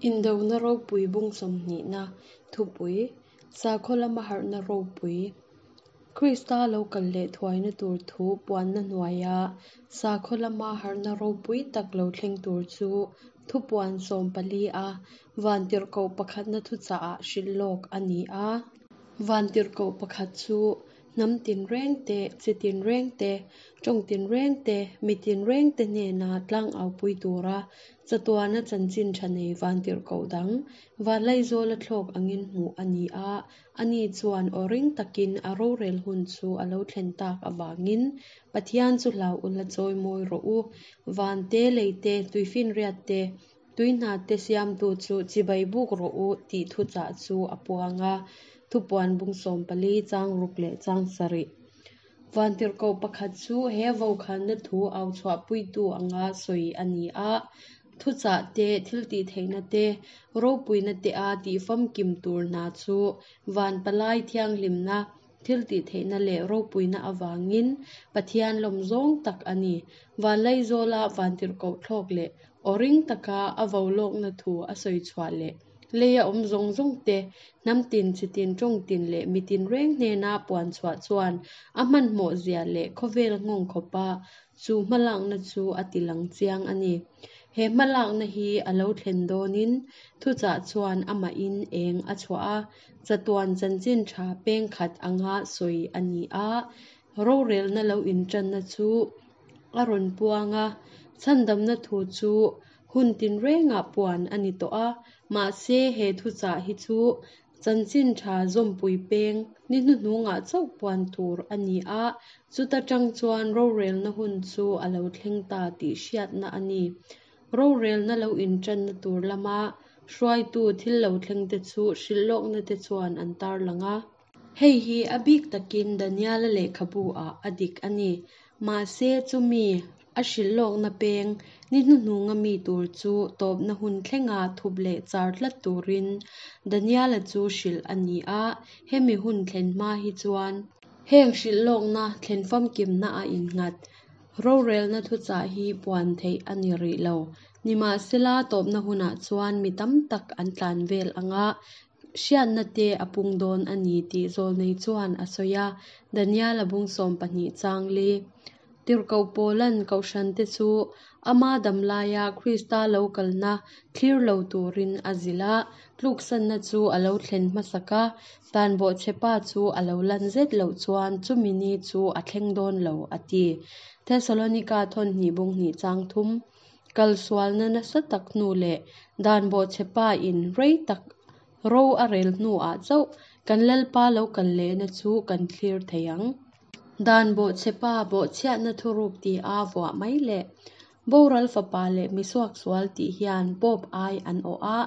Indona ropui bung sawmhnihna thupui, Sakhaw lama harhna ropui, Krista lo kal leh thuaina tur thu puanna hnuaia sakhaw lama harhna ropui tak lo thleng tur chu thupuan 14 a vantirhkoh pakhatna thuchahah hrilh lawk a ni a. Vantirhkoh pakhat chu hnam tinreng te, chi tinreng te, tawng tinreng te, mi tinreng te hnena tlangaupui tura chatuana chanchin tha nei vantirhkoh dang Vanlaizawla thlawk angin hmuh a ni a, ani chuan aw ring takin a rorel hun chu a lo thlen tak avangin Pathian chu hlau ula chawi mawi rawh u, van te, lei te, tuifinriat te, tui hna te siamtu chu chibai buk rawh u tih thuchah chu a puang a, thupuan bung 14 chang ruk leh chang sarih. Vantirhkoh pakhat chu he vokhanna thu au chhuahpuitu anga sawi a ni a, thuchah te, thiltihtheihna te, ropuina te a tihfamkim tur hna chu van palai thianghlimna, thiltihtheihna leh ropuina avangin Pathian lawm zawng tak a ni. Vanlaizawla vantirhkoh thlawk leh aw ring taka a vo lawkna thu a sawi chhuah leh leia awm zawng zawng te, hnam tin, chi tin, tawng tin leh mi tin reng hnena puan chhuah chuan a hmanhmawh zia leh khawvel nghawng khawpa chu hmalakna chu a ti lang chiang a ni. He hmalakna hi a lo thlen dawnin thuchah chuan amahin eng a chhuah a, chatuan chanchin tha peng khat anga sawi a ni a, rorelna lo intanna chu a rawn puang a, chhandamna thu chu hun tinrengah puan a ni tawh a, mahse he thuchah hi chu chanchin tha zawmpui peng ni hnuhnungah chauh puan tur a ni a, chuta tang chuan rorelna hun chu a lo thleng ta tih hriatna a ni. Rorelna lo intanna tur lama hruaitu thil lo thleng te chu hrilh lawkna te chuan an tarlang a. Hei hi a bik takin Daniela lehkhabu ah a dik a ni. Mahse chumi a hrilh lawkna peng ni hnuhnunga mi tur chu tawpna hun thlenga thup leh char tlat turin Daniela chu hrilh a ni a, hemi hun thlen hma hi chuan heng hrilh lawkna thlen famkimna a innghat. Rorelna thuchah hi puan theih a ni rih lo. Nimahsela tawpna hunah chuan mi tam tak an tlan vel anga hriatna te a pung dawn a ni tih zawlnei chuan a sawi a, Daniela bung 12 chang li. Tirhkoh Paulan kohhran te chu ama damlaia Krista lo kalna thlir lo turin a zilh a, tluksanna chu a lo thlen hmasak a, tan bawhchhepa chu a lo lan zet loh chuan chumi ni chu a thleng dawn lo a ti. Thesalonika thawn hnih bung hnih chang thum. Kalsualna nasa tak hnu leh dan bawhchhepa in rei tak ro a rel hnuah chauh kan Lalpa lo kal lehna chu kan thlir thei ang. Dan bawhchhepa bawhchhiatna thuruk ti a vuah mai le. Boral fapa leh misuaksual tih hian Pope ai an awh a,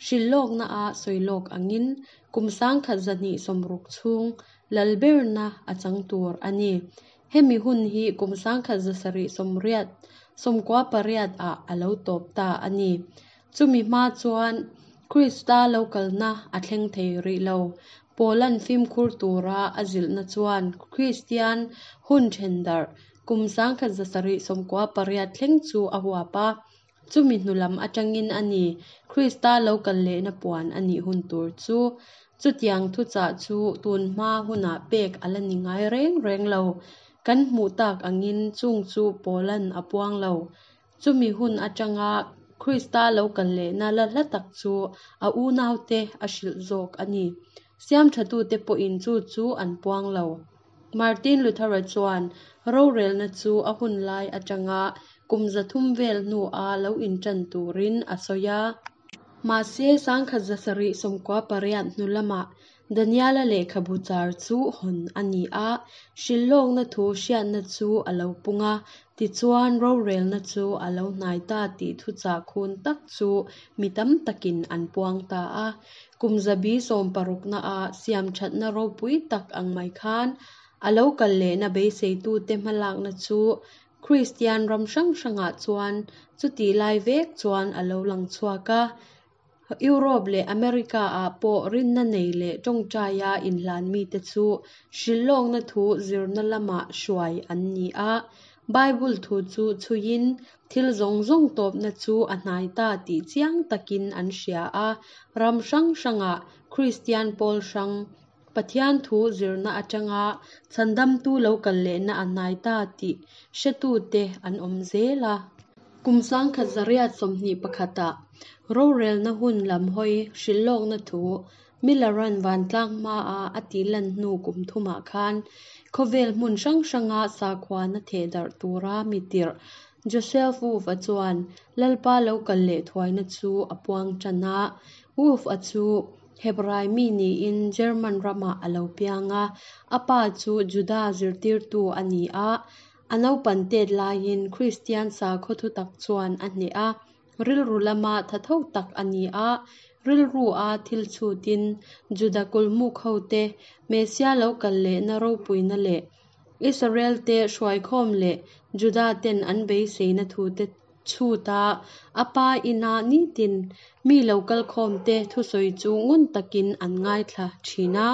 hrilh lawkna a sawi lawk angin kum 1260 chhung lalberna a chang tur a ni. Hemi hun hi kum 1780 98 ah a lo tawp ta a ni. Chumi hma chuan Krista lo kalna a thleng thei rih lo. Paulan fimkhur tura a zilhna chuan Kristian hun then darh kum 1798 thleng chu a huap a, chumi hnu lam atangin a ni Krista lo kal lehna puan a nih hun tur chu. Chutiang thuchah chu tun hma hunah pek a la ni ngai reng reng lo. Kan hmuh tak angin chung chu Paulan a puang lo. Chumi hun atanga Krista lo kal lehna la hla tak chu a unaute a hrilh zawk a ni. Siam thatute pawhin chu chu an puang lo. Martin Luther-a chuan rorelna chu a hun lai atanga kum 300 vel hnua lo intan turin a sawi a. Mahse 1798 hnu lamah Daniela lehkhabu char chu hawn a ni a, hrilh lawkna thu hriatna chu a lo pung a, tichuan rorelna chu a lo hnai ta tih thuchah khun tak chu mi tam takin an puang ta a. Kum zabi 60 na a siam thatna ropui tak ang mai khan a lo kal lehna beiseitute hmalakna chu Kristian ram hrang hrangah chuan chuti lai vek chuan a lo lang chhuak a. Europe leh America ah pawh rinna nei leh tawngtaia inhlan mite chu hrilh lawkna thu zirna lamah hruai an ni a. Bible thu chu chhuiin thil zawng zawng tawpna chu a hnai ta tih chiang takin an hria a. Ram hrang hrangah Kristian pawl hrang, Pathian thu zirna atanga chhandamtu lo kal lehna a hnai ta tih hretute an awm zel a. Kum 1921 ah rorelna hun lam hawi hrilhlawkna thu Miller-a'n vantlang hmaa a tihlan hnu kum thumah khan khawvel hmun hrang hranga sakhuana thehdarh tura mi tirh Joseph Wolff-a chuan Lalpa lo kal leh thuaina chu a puang tan a. Wolff-a chu Hebrai mi niin German ramah a lo piang a, a pa chu Juda zirtirtu a ni a. A naupan tet laiin Kristian sakhaw thutak chuan a hneh a. Rilru lama thatho tak a ni a, rilrua thil chhutin Juda kulmuk hote Messia lo kal lehna ropuina leh Israel-te hruaikhawm leh Juda-ten an beiseina thute chhuta a pa ina nitin mi lo kalkhawmte thusawi chu ngun takin an ngaithla thin a.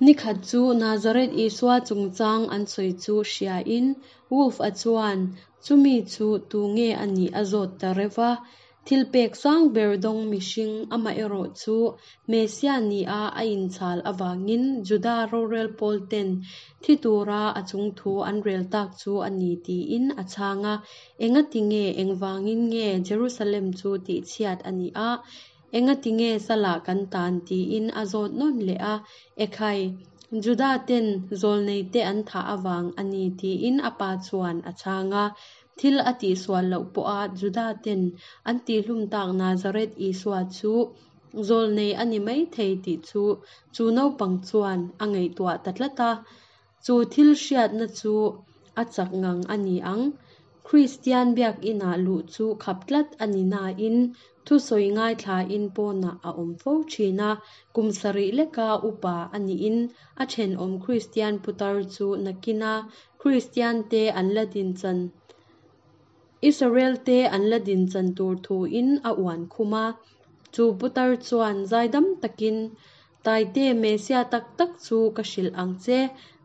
Nikhat chu Nazareth Isua chungchang an sawi chu hriain Wolf-a chuan chumi chu tu nge a nih a zawt ta reuh va. Thil pek sang ber dawng mihring amaherawh chu Messiah nia a inchhal avangin Juda rorel pawl ten thi tura a chung thu an rel tak chu a ni tiin a chhang a. Engati nge engvangin nge Jerusalem chu tihchhiat a nih a? Engati nge salah kan tan tiin a zawt nawn leh a, Ekhai, Juda ten zawlneite an thah avang a ni tiin a pa chuan a chhang a. Thil a tihsual loh pawha Juda ten an tihhlum tak Nazareth Isua chu zawlnei a ni maithei tih chu chu naupang chuan a ngaihtuah ta tlat a. Chu thil hriatna chu a chak ngang a ni ang. Kristian biakinah luh chu khap tlat a ni nain thusawi ngaithlain pawnah a awm fo thin a. Kum sarih leka upa a niin a thenawm Kristian putar chu nakina Kristiante an la dinchan Israel-te an la dinchan tur thuin a uan khum a. Chu putar chuan zaidam takin Taite Messia tak tak chu ka hrilh ang che.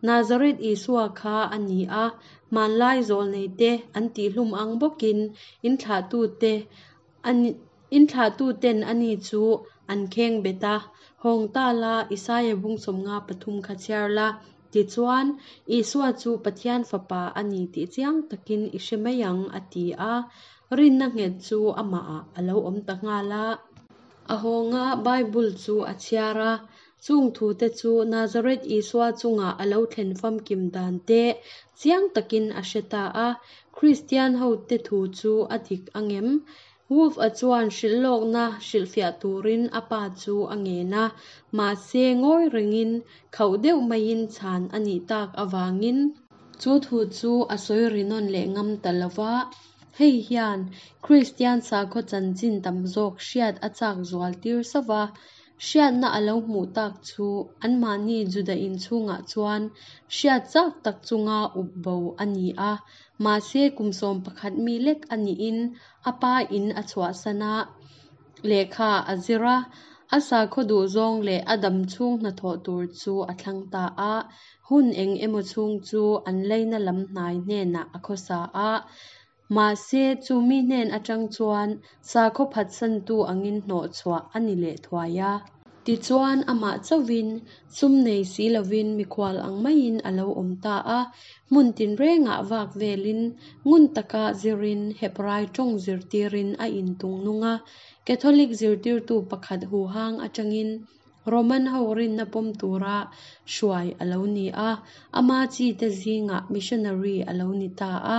Nazareth Isua kha a ni a, hmanlai zawlneite an tihhlum ang bawkin inthlahtute inthlahtuten ani chu an kheng bet a. Hawng ta la, Isaia bung 53 kha chhiar la. Tichuan, Isua chu Pathian Fapa a ni tih chiang takin i hre mai ang, a ti a. Rinna nghet chu amahah a lo awm ta nghal a. A hawnga Bible chu a chhiar a, chung thute chu Nazareth Isua chunga a lo thlen famkim dan te chiang takin a hre ta a. Kristian hote thu chu a dik ang em? Wolf-a chuan hrilhlawkna hrilhfiah turin a pa chu a ngen a, mahse ngawi rengin khauh deuh maiin chhan a nih tak avangin chu thu chu a sawi ri nawn leh ngam ta lo va. Hei hian Kristian sakhaw chanchin tam zawk hriat a chak zual tir sauh va, hriatna a lo hmuh tak chu anmahni Juda inchhungah chuan hriat chak tak chunga up bo a ni a. Mahse kum 11 mi lek a niin a pa in a chhuahsan a, lehkha a zir a, a sakhaw duhzawng leh a dam chhung hnathawh tur chu a thlang ta a. Hun eng emaw chhung chu an leina lam hnai hnenah a khawsa a, mahse chu mi hnen atang chuan sakhaw phatsantu angin hnawh chhuah a ni leh thuai a. Tichuan amah chauhin sum nei si lovin mikhual ang maiin a lo awm ta a, hmun tinrengah vak velin ngun taka zirin Hebrai tawng zirtirin a intung nung a. Catholic zirtirtu pakhat huhang atangin Roman ho rinna pawm tura hruai a lo ni a, ama chite zingah missionary a lo ni ta a.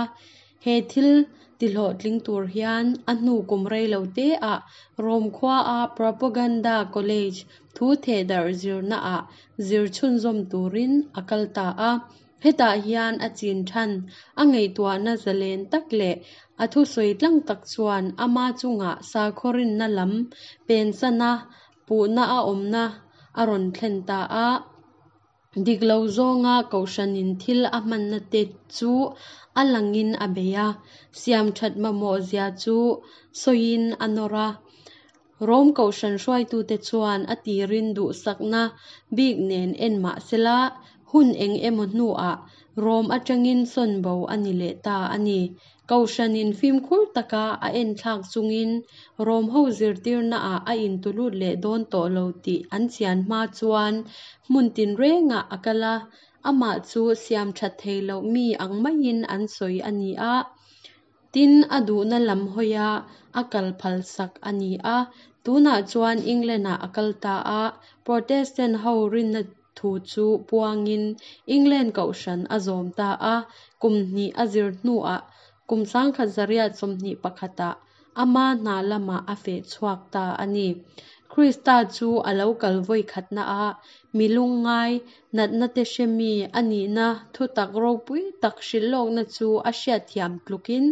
He thil tihlawhtling tur hian a hnu kum rei lo te ah Rome khuaa Propaganda College thu thehdarh zirnaah zir chhunzawm turin a kal ta a. Hetah hian a chin than, a ngaihtuahna zalen tak leh a thusawi tlang tak chuan ama chungah sakhaw rinna lam pensana puhna a awmna a rawn thlen ta a. Dik lo zawnga kohhranin thil a hmanna te chu a langin a bei a, siam that mamawh zia chu sawiin a nawr a. Rome kohhran hruaitute chuan a tirin duhsakna bik nen en mah sela, hun eng emaw hnuah Rom atangin sawn bo a ni leh ta a ni. Kohhranin fimkhur taka a enthlak chungin Rom ho zirtirnaah a intulut leh dawn tawh lo tih an chian hma chuan hmun tinrengah a kal a, amah chu siam that thei loh mi ang maiin an sawi a ni a. Tin, a duhna lam hawia a kal phalsak a ni a. Tunah chuan England-ah a kal ta a, Protestant ho rinna thu chu puangin England kohhran a zawm ta a, kum hnih a zir hnuah kum 1921 ah ama hna lamah a feh chhuak ta a ni. Krista chu a lo kal vawi khatna a, mi lungngai, natna te hre mi a nihna thutak ropui tak hrilhlawkna chu a hriatthiam tlukin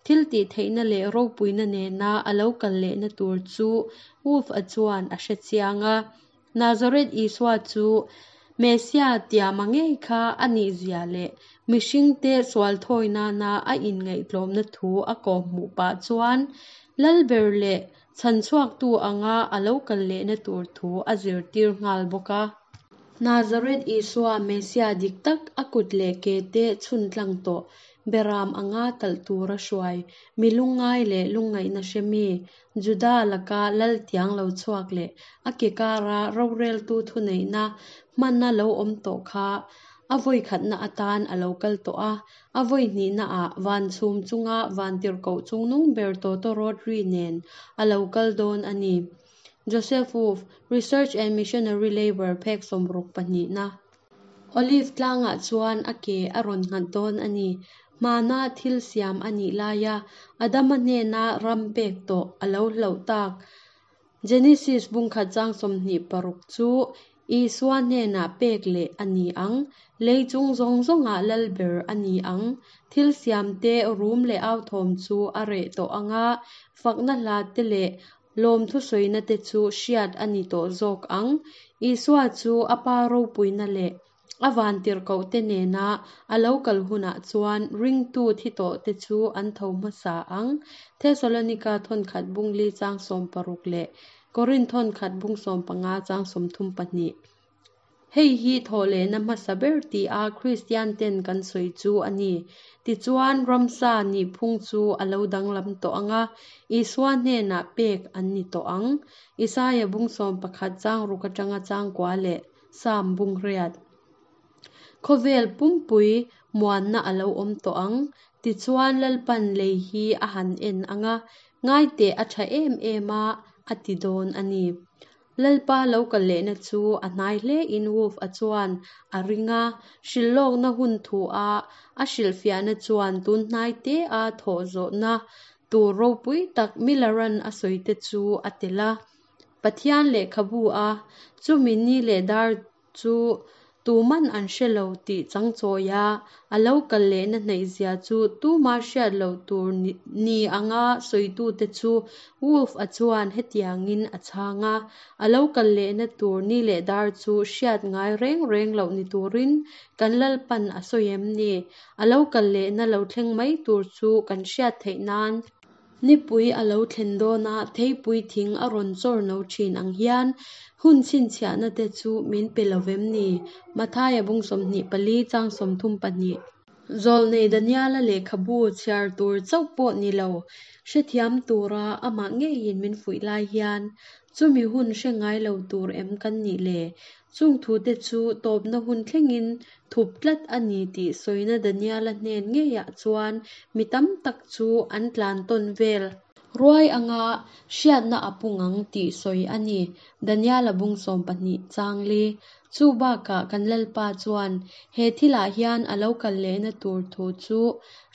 thiltihtheihna leh ropuina nena a lo kal lehna tur chu Wolf-a chuan a hre chiang a. Nazareth Isua chu Messia tiama ngei kha a nihzia leh mihringte sual thawi nana a inngaihtlawmna thu a kawhhmuh pah chuan Lalber leh chhanchhuaktu anga a lo kal lehna tur thu a zirtir nghal bawk a. Nazareth Isua Messia dik tak a kut leh ke te chhun tlang tawh Beram anga talh tura hruai mi lungngai leh lungngaihna hre mi Juda laka lal tiang lo chhuak leh a ke kara roreltu thuneihna hmana lo awm tawh kha a vawi khatna atan a lo kal tawh a, a vawi hnihnaah van chhum chunga vantirhkoh chungnung ber tawtawrawt ri nen a lo kal dawn a ni. Joseph Wolff, Research and Missionary Labour phek 60 pahnihna. Olive tlangah chuan a ke a rawn nghat dawn a ni. Hmana thil siam a nih laia Adama hnena ram pek tawh a lo hlauh tak Genesis bungkhat chang 26 chu Isua hnenah pek leh a ni ang. Lei chung zawng zawngah lal ber a ni ang. Thil siamte rum leh authawm chu a reh tawh ang a, fakna hla te leh Lawmthusawina te chu hriat a ni tawh zawk ang. Isua chu a Pa ropuina leh a vantirhkoh te nena a lo kal hunah chuan ringtu thi tawh te chu an tho hmasa ang. Thesalonika thawnkhat bung li chang 60 leh Korinth thawnkhat bung 15 chang 32. Hei hi thawhlehna hmasa ber tia Kristian ten kan sawi chu a ni. Tichuan, ramsa nihphung chu a lo danglam tawh ang a, Isua hnenah pek an ni tawh ang. Isaia bung 11 chang ruk atanga chang kua leh Salm bung riat. Khawvel pumpui muanna a lo awm tawh ang. Tichuan, Lalpan lei hi a han en ang a, ngaiteh a tha em em a, a ti dawn a ni. Lalpa lo kal lehna chu a hnai hle in Wolf-a chuan a ring a, hrilhlawkna hun thu a a hrilhfiahna chuan tun hnai te a thawh zawhna tur ropui tak Miller-a'n a sawi te chu a tel a. Pathian lehkhabu a chumi ni leh dar chu tuman an hre lo tih changchawi a, a lo kal lehna hnaihzia chu tuma hriat loh tur ni anga sawitute chu Wolf-a chuan hetiangin a chhang a, A lo kal lehna tur ni leh dar chu hriat ngai reng reng loh ni turin kan Lalpan a sawi em ni? A lo kal lehna lo thleng mai tur chu kan hriat theih nan. Nipui a lo thlen dawna theipui thing a rawn chawr no thin ang hian hun chhinchhiahna te chu min pe lo vem ni? Mathaia bung 24 chang 32. Zawlnei Daniela lehkhabu chhiar tur chauh pawh ni lo, hrethiam tura amah ngeiin min fuih lai hian chumi hun hre ngai lo tur em kan nih le? Chung thute chu tawpna hun thlengin thup tlat a ni tih sawina Daniela hnen ngeiah chuan mi tam tak chu an tlan tawn vel. Ruai anga hriatna a pung ang tih sawi a ni. Daniela bung 12 chang li. Chu bakah kan Lalpa chuan he thilah hian a lo kal lehna tur thu chu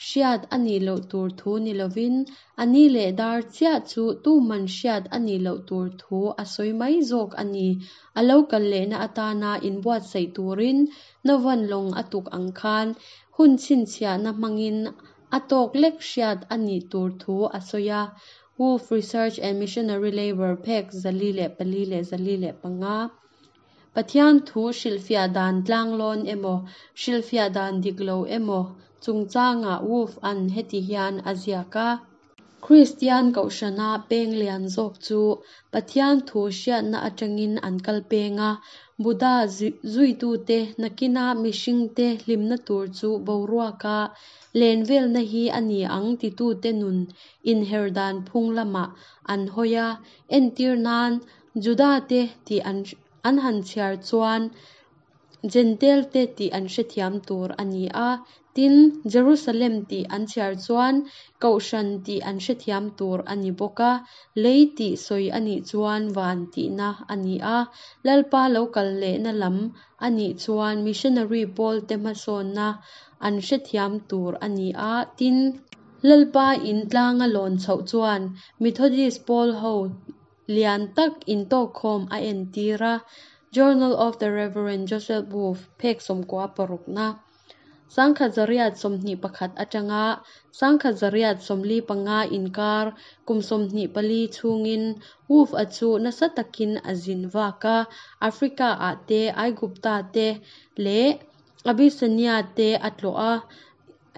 hriat a nih loh tur thu ni lovin a ni leh dar chiah chu tuman hriat a nih loh tur thu a sawi mai zawk a ni. A lo kal lehna atana inbuatsaih turin Novan lawng a tuk ang khan hun chhinchhiahna hmangin a tawk lek hriat a nih tur thu a sawi a. Wolf Research and Missionary Labour phek 404 leh 405. Pathian thu hrilhfiah dan tlanglawn emaw, hrilhfiah dan dik lo emaw chungchangah Wolf-a'n heti hian a ziak a. Kristian kohhrana peng lian zawk chu Pathian thu hriatna atangin an kal peng a, Buddha zuitute nakina mihringte hlimna tur chu boruaka len velna hi a ni ang titute nun inher dan phung lamah an hawi a, entir nan Juda-te tih an han chhiar chuan Jentail-te tih an hrethiam tur a ni a, tin, Jerusalem tih an chhiar chuan Kohhran tih an hrethiam tur a ni bawk a, lei tih sawi a nih chuan van tihna a ni a, Lalpa lo kal lehna lam a nih chuan missionary pawlte hmasawnna an hrethiam tur a ni a, tin, Lalpa in tlanga lawn chhoh chuan Methodist pawl ho lian tak intawkkhawm a entir a, Journal of the Rev. Joseph Wolff, phek sawmkua parukna, 1921 atanga 1945 inkar kum 24 chhungin Wolff-a chu nasa takin a zin vak a, Africa-ah te, Aigupta te leh Abyssinia te a tlawh a,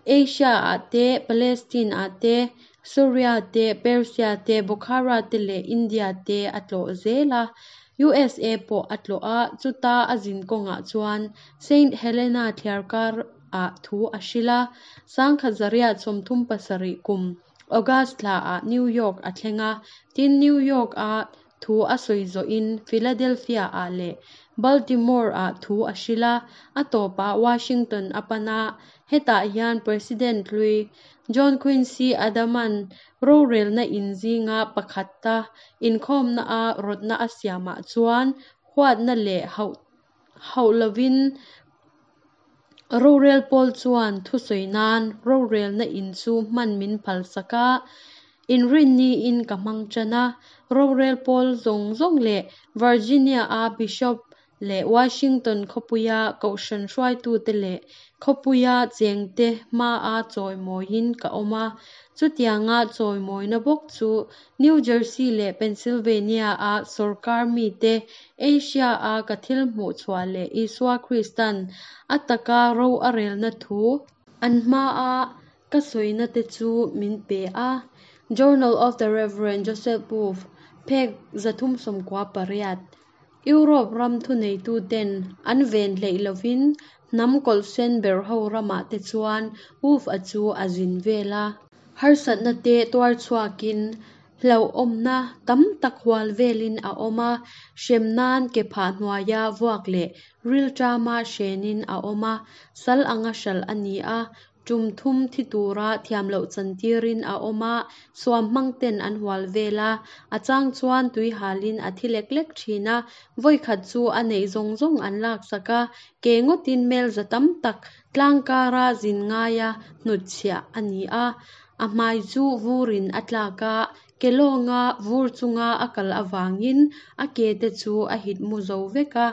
Asia-ah te, Palestine-ah te, Suria te, Persia te, Bukhara te leh India te a tlawh zel a. USA pawh a tlawh a, chuta a zin kawngah chuan Saint Helena thliarkarah thu a hrilh a. 1937 kum August thlaah New York a thleng a, tin New York-a thu a sawi zawhin Philadelphia-ah leh Baltimore-ah thu a hrilh a, a tawpah Washington a pan a, hetah hian President hlui John Quincy Adams-a'n rorelna in zinga pakhata inkhawmna-a rawtna a siamah chuan huatna leh hauh lovin Rorel pawl chuan thusawi nan rorelna in chu hman min phalsak a, inrinniin ka hmang tan a. Rorel pawl zawng zawng leh Virginia-a Bishop leh Washington khawpuia kohhran hruaitute leh khawpuia chengte hmaa chawimawiin ka awm a. Chutianga chawimawina bawk chu New Jersey leh Pennsylvania-a sawrkar mite Asia-a ka thil hmuh chhuah leh Isua Krista'n a taka ro a relna thu an hmaa ka sawina te chu min pe a. Journal of the Rev. Joseph Wolff, phek 398. Europe ram thuneituten an ven hleih lovin hnam kawlhsen berho ramah te chuan Wolff-a chu a zin vel a. Harsatna te tuar chhuakin hlauhawmna tam tak hual velin a awm a, hrem nan ke phah hnuaia vuak leh rilṭama hrenin a awm a, sal anga hralh a ni a, tum thum thi tura thiam loh chantirin a awm a, suam hmang ten an hual vel a, a chang chuan tui halin a thi lek lek thin a, vawikhat chu a neih zawng zawng an laksak a, ke ngawtin mel za tam tak Tlang kara zin ngaia hnutchhiah a ni a, a hmai chu vurin a tlak a, ke lawnga vur chunga a kal avangin a ke te chu a hit mu zo vek a.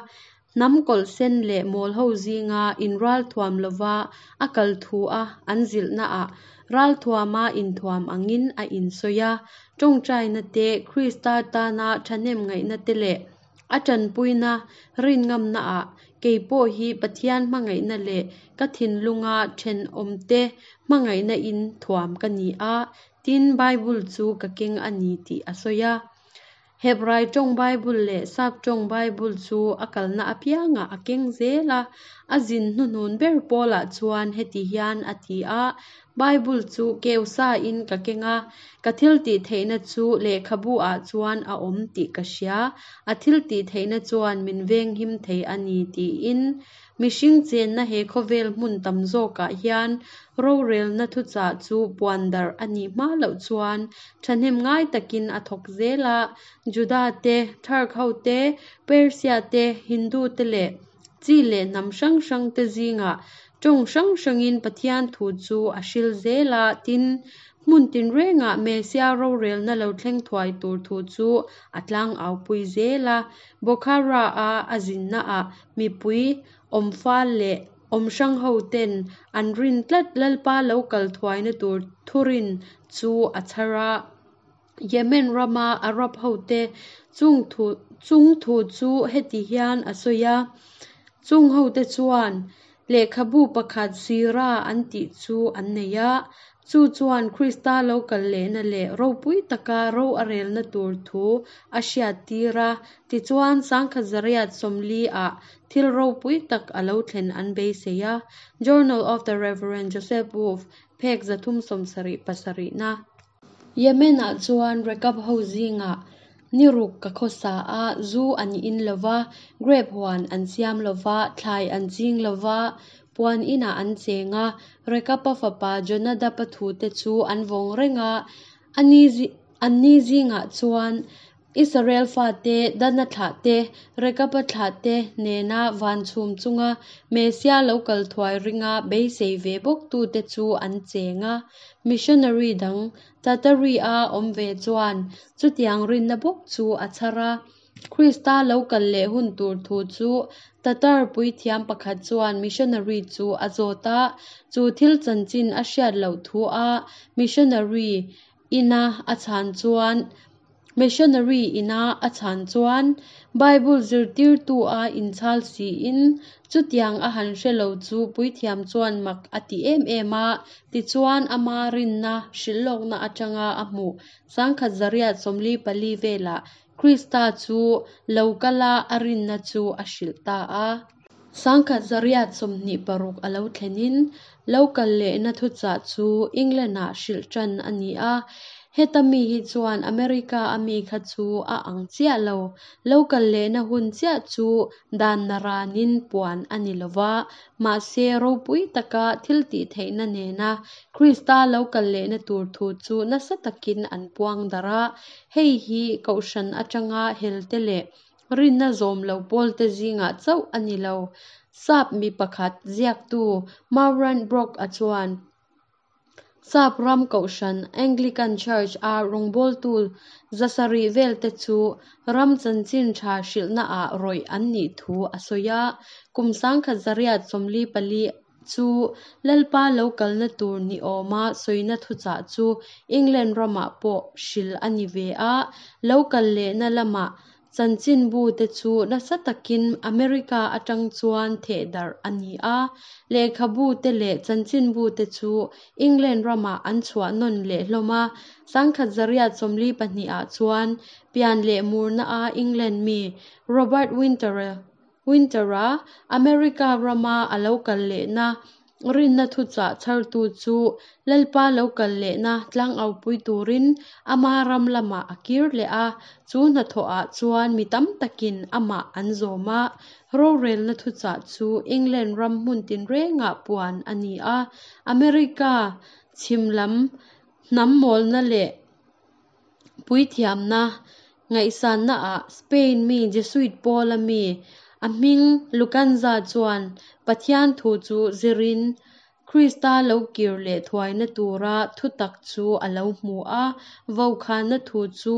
Hnam kawlh sen leh mawl ho zinga inralthuam lova a kal thu a an zilhnaah ralthuama inthuam angin a insawi a, tawngtaina te, Krista tana thahnem ngaihna te leh A tanpuina rinngamnaah kei pawh hi Pathian hmangaihna leh ka thinlunga thenawmte hmangaihna in thuam ka ni a, tin Bible chu ka keng a ni tih a sawi a. Hebrai tawng Bible leh Sap tawng Bible chu a kalna apiangah a keng zel a, a zin hnuhnun ber pawlah chuan heti hian a ti a, Bible chu keu sain ka keng a, ka thil tih theihna chu lehkhabu ah chuan a awm tih ka hria, a thil tih theihna chuan min venghim thei a ni tiin mihring chenna he khawvel hmun tam zawkah hian rorelna thuchah chu puan darh a nih hma loh chuan thahnem ngai takin a thawk zel a, Juda te, Turk ho te, Persia te, Hindu te leh chi leh hnam hrang hrang te zingah Tawng hrang hrangin Pathian thu chu a hril zel a, tin, hmun tinrengah Mesia rorelna lo thleng thuai tur thu chu a tlang aupui zel a. Bokhara-a a zinnaah mipui awmfal leh awm hrang hoten an rin tlat Lalpa lo kal thuaina tur thurin chu a chhar a. Yemen rama Arab hote chung thu chung thu chu heti hian a sawi a, Chung hote chuan lehkhabu pakhat Sira an tih chu an nei a, Chu chuan Krista lo kal lehna leh ropui taka ro a relna tur thu a hriattir a. Tichuan, 1840 ah thil ropui tak a lo thlen an beisei a. Journal of the Rev. Joseph Wolff, phek 377 na. Yemen-ah chuan Rekab ho zingah ni ruk ka khawsa a, zu an in lo va, grape huan an siam lo va, thlai an ching lo va, puan inah an cheng a, Rekab-a fapa Jonadab-a thute chu an vawng reng a, anni zingah chuan Israel fate, Dana thlahte, Rekab-a thlahte nena van chhum chunga Messia lo kal thuai ringa beisei ve bawktute chu an cheng a. Missionary dang, Tatari-a awm ve chuan chutiang rinna bawk chu a chhar a. Krista lo kal leh hun tur thu chu Tatar puithiam pakhat chuan missionary chu a zawt a, chu thil chanchin a hriat loh thu a missionary ina a chhan chuan Missionary ina a chhan chuan Bible zirtirtu a inchhal siin chutiang a han hre lo chu puithiam chuan mak a ti em em a, tichuan ama rinna hrilhlawkna atanga a hmuh 1844 velah Krista chu lo kala a rinna chu a hrilh ta a. 1826 a lo thlenin lo kal lehna thuchah chu England-ah hrilh ṭan a ni a. Heta mi hi chuan America a mi kha chu a ang chiah lo. Lo kal lehna hun chiah chu dan naranin puan a ni lo va, mahse ropui taka thil tih theihna nena Krista lo kal lehna tur thu chu nasa takin an puang darh a. Hei hi kohhran aṭanga helte leh Rinna zawm lo pawlte zingah chauh a ni lo. Sap mi pakhat ziaktu Mauran Brock-a chuan Sap ram kohhran Anglican Church-a rawngbawltu 700 velte chu ram chanchin tha hrilhnaah rawih an nih thu a sawi a. Kum 1844 chu Lalpa lo kalna tur ni awma sawina thuchah chu England ramah pawh hrilh a ni ve a, lo kal lehna lamah Chanchinbute chu nasa takin America atang chuan theh darh a ni a, lehkhabute leh chanchinbute chu England ramah an chhuah nawn leh hlawm a. 1842 ah chuan pian leh murna a England mi Robert Winter-a America rama a lo kal lehna Rinna thuchah chhartu chu Lalpa lo kal lehna tlangaupui turin ama ram lamah a kir leh a, chu hnathawhah chuan mi tam takin amah an zawm a. Rorelna thuchah chu England ram hmun tinrengah puan a ni a, America chhim lam hnam mawlna leh puithiamna ngaihsannaah Spain mi Jesuit pawla mi a hming Lucanza chuan Pathian thu chu zirin Krista lo kir leh thuaina tura thutak chu a lo hmu a, vaukhana thu chu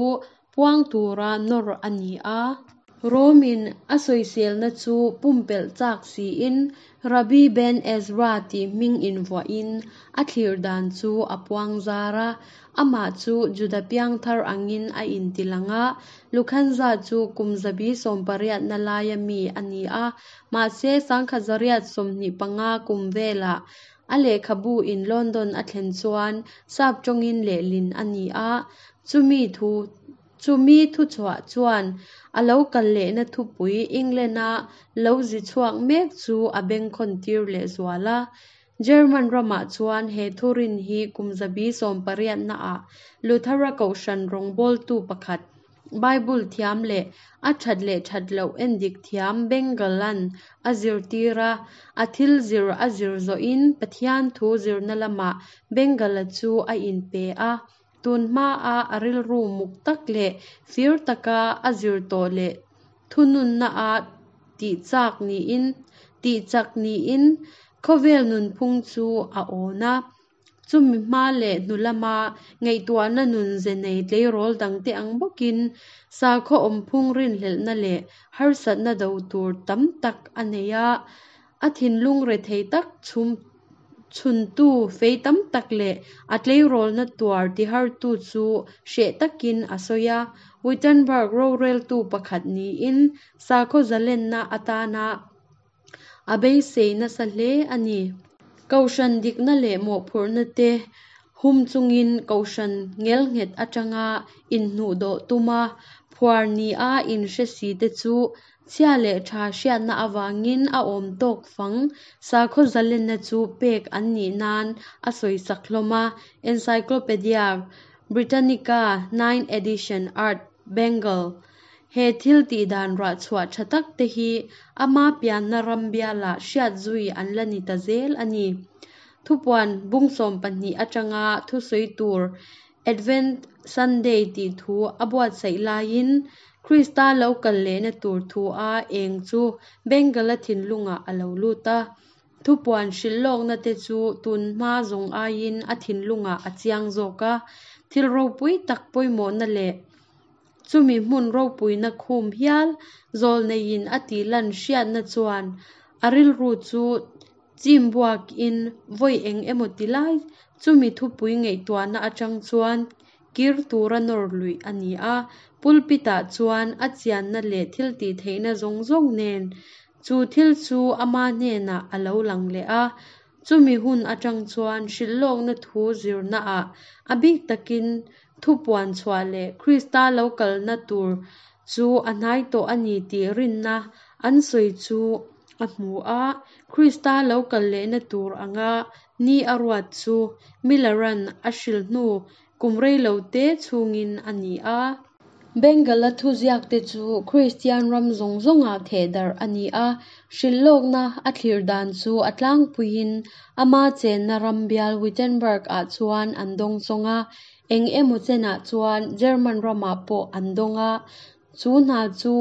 puang tura nawr a ni a. Romin a sawiselna chu pumpelh chak siin Rabbi Ben Ezra tih hming invuahin a thlir dan chu a puang zar a. Amah chu Juda piangthar angin a intilang a, Lukhanza chu kum zabi sawmpariatna laia mi a ni a, mahse 1825 kum velah a lehkhabu in London a thlen chuan sap tawngin lehlin a ni a, chumi thu Chumi thuchhuah chuan a lo kal lehna thupui England-a lo zi chhuak mek chu a bengkhawn tir lehzual a. German ramah chuan he thurin hi kum zabi sawmpariatnaah Luthera kohhran rawngbawltu pakhat, Bible thiam leh a that leh that loh endik thiam Bengel-a'n a zirtir a, a thil zir a zir zawhin Pathian thu zirna lamah Bengel-a chu a inpe a. Tun hmaa a rilru muk tak leh fir taka a zir tawh leh thununna a tihchak niin tihchak niin khawvel nunphung chu a awn a. Chumi hma leh hnu lama ngaihtuahna nun ze nei tleirawl dangte ang bawkin sakhaw awmphung rinhlelhna leh harsatna do tur tam tak a nei a, a thinlung rethei tak chhum Chhuntu fei tam tak leh a tleirawlna tuar tihartu chu hreh takin a sawi a. Wittenberg roreltu pakhat niin sakhaw zalenna atana a beisei nasa hle a ni. Kohhran dikna leh mawhphurhna te hum chungin kohhran ngelnghet atanga inhnuhdawh tuma phuar nia inhre si te chu chhia leh tha hriatna avangin a awm tawk fang sakhaw zalenna chu pek an nih nan a sawisak hlawm a, Encyclopedia Britannica Ninth Edition Art Bengal. He thil tihdan ruahchhuah tha tak te hi ama pianna ram bialah hriat zui an la ni ta zel a ni. Thupuan bung 12 atanga thusawi tur Advent Sunday tih thu a buatsaih laiin Krista lo kal lehna tur thu a eng chu Bengal-a thinlungah a lo lut a. Thupuan hrilh lawkna te chu tun hma zawng aiin a thinlungah a chiang zawk a. Thil ropui tak pawimawhna leh Chumi hmun ropuina khum hial zawlneiin a tih lan hriatna chuan a rilru chu chim buakin vawi eng emaw ti lai chumi thupui ngaihtuahna atang chuan kir tura nawr luih a ni a. Pulpit-ah chuan a chianna leh thiltihtheihna zawng zawng nen chu thil chu ama hnenah a lo lang leh a. Chumi hun atang chuan hrilhlawkna thu zirnaah a bik takin Thupuan chhuah leh Krista lo kalna tur chu a hnai tawh a ni tih rinna an sawi chu a hmu a. Krista lo kal lehna tur anga ni a ruat chu Miller-a'n a hrilh hnu kum rei lo te chhungin a ni a. Bengal-a thuziakte chu Kristian ram zawng zawngah thehdarh a ni a, hrilhlawkna a thlir dan chu a tlangpuiin ama chenna ram bial Wittenberg-ah chuan an dawngsawng a, eng emaw chenah chuan German ramah pawh an dawng a, chu hna chu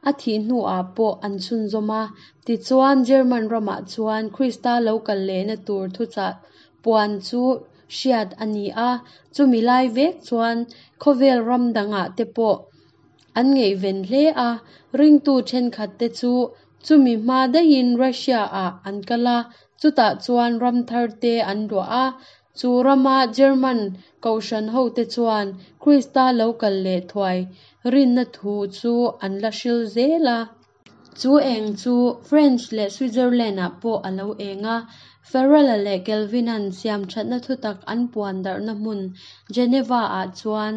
a thih hnuah pawh an chhunzawm a. Tichuan, German ramah chuan Krista lo kal lehna tur thuchah puan chu hriat a ni a, chumi lai vek chuan khawvel ram dangah te pawh an ngaihven hle a, ringtu thenkhat te chu chumi hma daihin Russia-ah an kal a, chutah chuan ram thar te an luah a, chu rama German kohhran hote chuan Krista lo kal leh thuai rinna thu chu an la hril zel a. Chu eng chu French leh Switzerland-ah pawh a lo eng a, Farrell-a leh Calvin-a'n siamthatna thutak an puan darhna hmun Geneva-ah chuan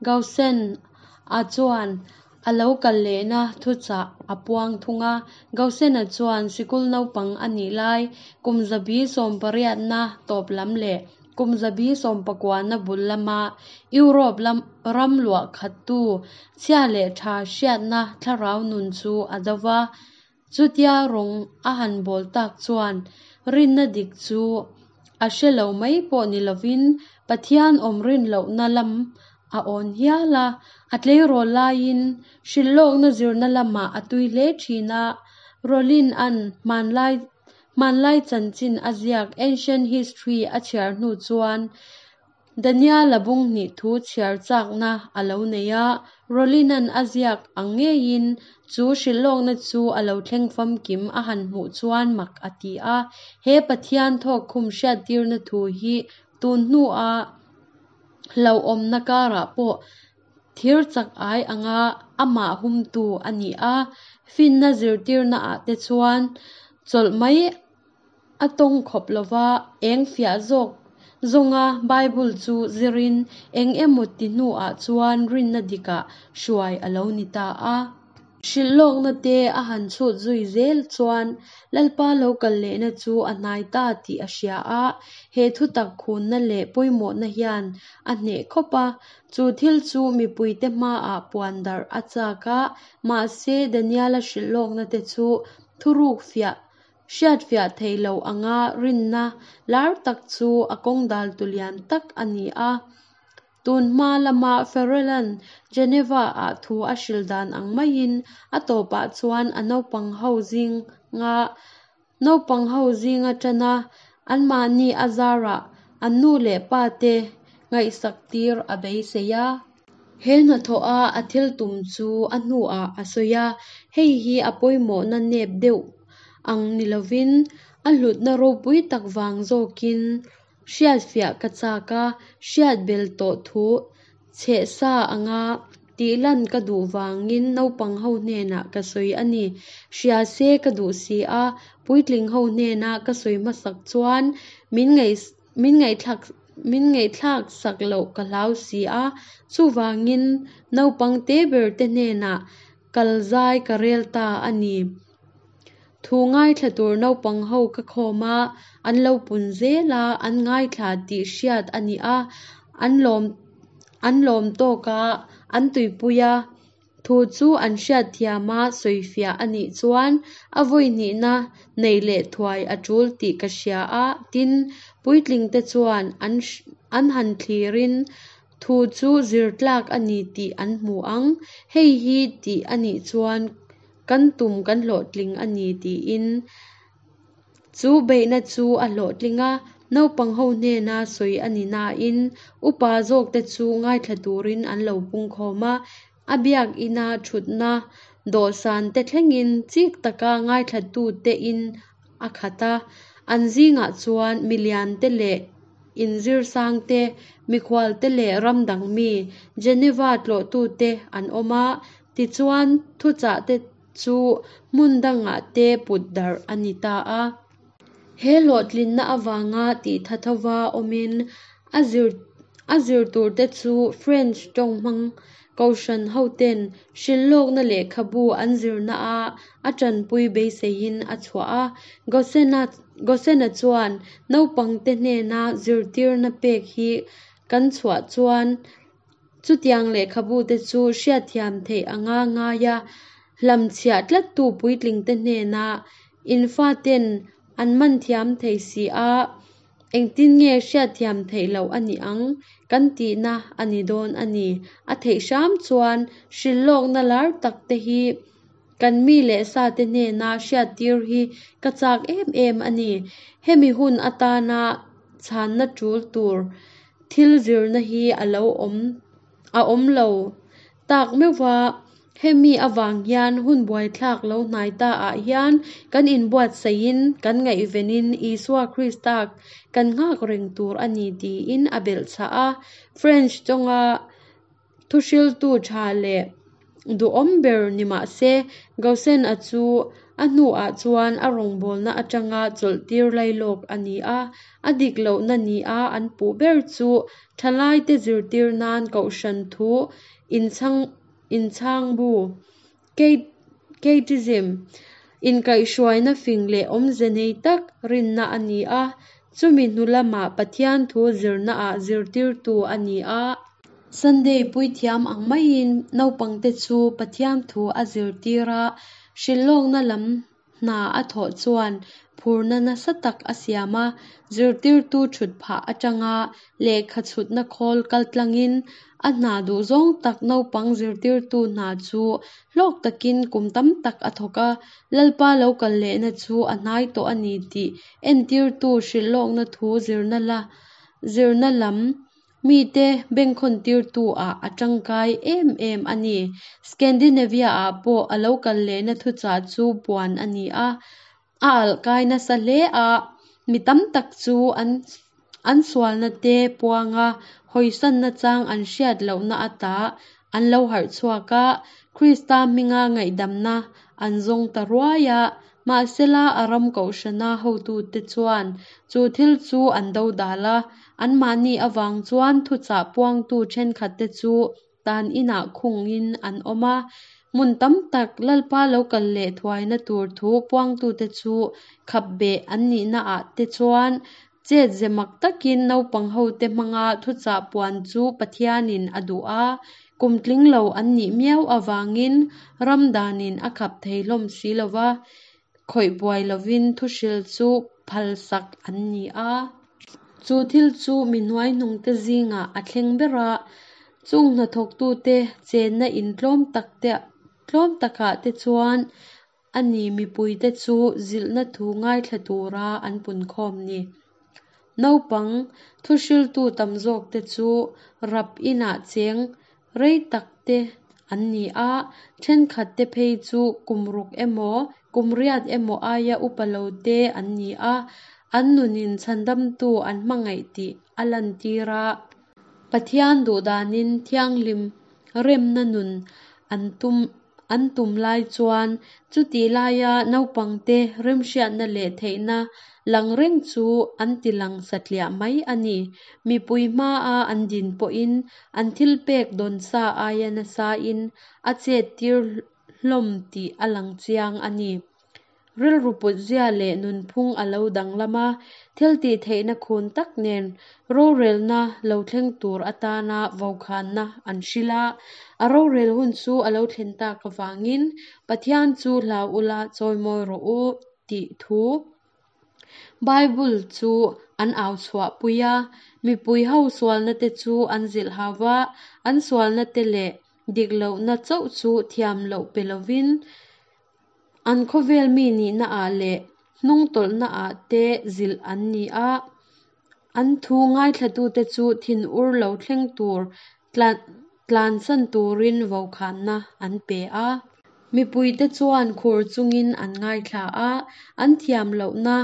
Gaussen-a chuan a lo kal lehna thuchah a puang thung a. Gaussen-a chuan sikul naupang a nih lai kum zabi sawmpariatna tawp lam leh Kum zabi sawmpakuana bul lama Europe ram luah khattu chhia leh tha hriatna thlarau nun chu a do va. Chutia rawng a han bawl tak chuan rinna dik chu a hre lo mai pawh ni lovin Pathian awm rin lohna lam a awn hial a. A tleirawl laiin hrilhlawkna zirna lamah a tui hle thin a, Rollin-a'n hmanlai Hmanlai chanchin a ziak Ancient History a chhiar hnu chuan Daniel-a bung hnih thu chhiar chakna a lo nei a, Rollin-a'n a ziak ang ngeiin chu hrilhlawkna chu a lo thleng famkim a han hmuh chuan mak a ti a. He Pathian thawkkhum hriattirna thu hi tun hnua hlauhawmna karah pawh Thir chak ai anga amah humtu a ni a, finna zirtirnaah te chuan chawlh mai a tawng khawp lova, eng fiah zawk zawnga Bible chu zirin eng emaw ti hnuah chuan rinna dikah hruai a lo ni ta a. Hrilhlawkna te a han chhut zui zel chuan Lalpa lo kal lehna chu a hnai ta tih a hria a, he thutak khunna leh pawimawhna hian a hneh khawp a, chu thil chu mipuite hmaah puan darh a chak a, mahse Daniela hrilhlawkna te chu thuruk fiah hriatfiah theih loh anga rinna lar tak chu a kawng daltu lian tak a ni a. Tun hma lama Farrell-a'n Geneva-ah thu a hrilh dan ang maiin a tawpah chuan a naupang ho zinga naupang ho zinga tana anmahni a zarah an nu leh pa te ngaihsak tir a beisei a. He hnathawha a thil tum chu a hnuah a sawi a, hei hi a pawimawhna nep deuh ang ni lovin a hlutna ropui tak vang zawkin Hriatfiah ka chak a, hriat bel tawh thu chheh sa anga tih lan ka duh vangin naupang ho hnenah ka sawi a ni. Hria se ka duh si a, puitling ho hnena ka sawi hmasak chuan min min ngaihthlak min ngaihthlak sak loh ka hlau si a, chuvangin naupang te ber te hnenah kal zai ka rel ta a ni. Thu ngaithla tur naupang ho ka khawm a, an lo pun zel a, an ngaithla tih hriat a ni a, an lawm an lawm tawk a, an tuipui a. Thu chu an hriatthiam a sawifiah a nih chuan a vawi hnihna neih leh thuai a tul tih ka hria a, tin, puitlingte chuan an an han thlirin thu chu zir tlak a ni tih an hmu ang. Hei hi tih a nih chuan kan tum kan hlawhtling a ni tiin chu beihna chu a hlawhtling a, naupang ho hnena sawi a ni nain upa zawkte chu ngaithla turin an lo pungkhawm a, A biakina thutna dawhsan te thlengin chik taka ngaithlatute in a khat a, an zingah chuan milian te leh inzirsang te, mikhual te leh ram dang mi, Geneva tlawhtute an awm a, tichuan thuchah te chu hmun dangah te put darh a ni ta a. He hlawhtlinna avanga tih thova awmin a zir a zir turte chu French tawng hmang kohhran hoten hrilhlawkna lehkhabu an zirnaah a tanpui beiseiin a chhuah a. Gosena Gosena chuan naupangte hnena zirtirna pek hi kan chhuah chuan Chutiang lehkhabute chu hriatthiam theih anga ngaia hlamchhiah tlattu puitlingte hnena in faten an man thiam thei si a, engtin nge hriatthiam theih loh a nih ang kan tihna a ni dawn a ni. A theih hram chuan hrilhlawkna lar tak te hi kan mi leh sate hnena hriattir hi ka chak em em a ni. Hemi hun atana chhanna tul tur thil zirna hi a lo awm a awm lo tak meuh va, hemi avang hian hun buaithlak lo hnai ta ah hian kan inbuatsaihin kan ngaihvenin Isua Krista kan nghak reng tur a ni tiin a belhchhah a. French tawnga Thuhriltu tha leh duhawm ber ni mah se, Gosen-a chu a hnuah chuan a rawngbawlna atanga chawlhtir lailawk a ni a. A dik lohna nia an puh ber chu thalaite zirtir nan kohhran thu inchhangbu, Catechism, inkaihhruaina fing leh awmze nei tak rinna a ni a, chumi hnu lamah Pathian thu zirnaah zirtirtu a ni a. Sunday puithiam ang maiin naupangte chu Pathian thu a zirtir a, hrilhlawkna lam hna a thawh chuan phurna nasa tak a siam a, zirtirtu thut phah atanga lehkha chhutna khawl kaltlangin a hna duhzawng tak naupang zirtirtu hna chu hlawk takin kum tam tak a thawk a, Lalpa lo kal lehna chu a hnai tawh a ni tih entirtu hrilhlawkna thu zirna la zirna lam Mite bengkhawntirtu-ah a tangkai em em a ni. Scandinavia-ah pawh a lo kal lehna thuchah chu puan a ni a, a alh kai nasa hle a, mi tam tak chu an an sualna te puanga hawisanna chang an hriat lohna ata an lo harh chhuak a, Krista hminga ngaihdamna an zawng ta ruai a. Mahsela a ram kohhrana hotute chuan chu thil chu an dodal a, anmahni avang chuan thuchah puangtu thenkhatte chu tan inah khungin an awm a. Hmun tam tak Lalpa lo kal leh thuaina tur thu puangtute chu khap beh an nihnaah te chuan chet ze mak takin naupang hote hmanga thuchah puan chu Pathianin a duh a, kum tling lo an nih miau avangin ram danin a khap thei hlawm si lo va, khawih buai lovin thuhril chu phalsak an ni a. Chu thil chu mi hnuaihnungte zingah a thleng ber a, chung hnathawktute chenna in tlawm takte tlawm takah te chuan A ni mipuite chu zilhna thu ngaithla tura an punkhawm ni. Naupang thuhriltu tam zawkte chu rap inah cheng rei takte an ni a, thenkhatte phei chu kum ruk emaw, kum riat emaw aia upa lote an ni a, an nunin chhandamtu an hmangaih tih a lantir a. Pathian duhdanin thianghlim remna nun an tum. an tum lai chuan chutih laia naupangte remhriatna leh theihna lang reng chu an tilang satliah mai a ni. Mipui hmaa an din pawhin an thilpek dawn sa aia nasain a chettir hlawm tih a lang chiang a ni. Rilru putzia leh nunphung a lo danglam a, thiltihtheihna khun tak nen rorelna lo thleng tur atana vokhanna an hrilh a. A rorel hun chu a lo thlen tak avangin Pathian chu hlau ula chawimawi rawh u tih thu Bible chu an au chhuahpui a. Mipui ho sualna te chu an zilh hau va, an sualna te leh dik lohna chauh chu thiam loh pe lovin an khawvel mi nihna ah leh hnungtawlhna ah te zilh an ni a. An thu ngaithlatute chu thinur lo thleng tur tlansan turin vokhanna an pe a. Mipuite chuan khur chungin an ngaithla a, an thiam lohna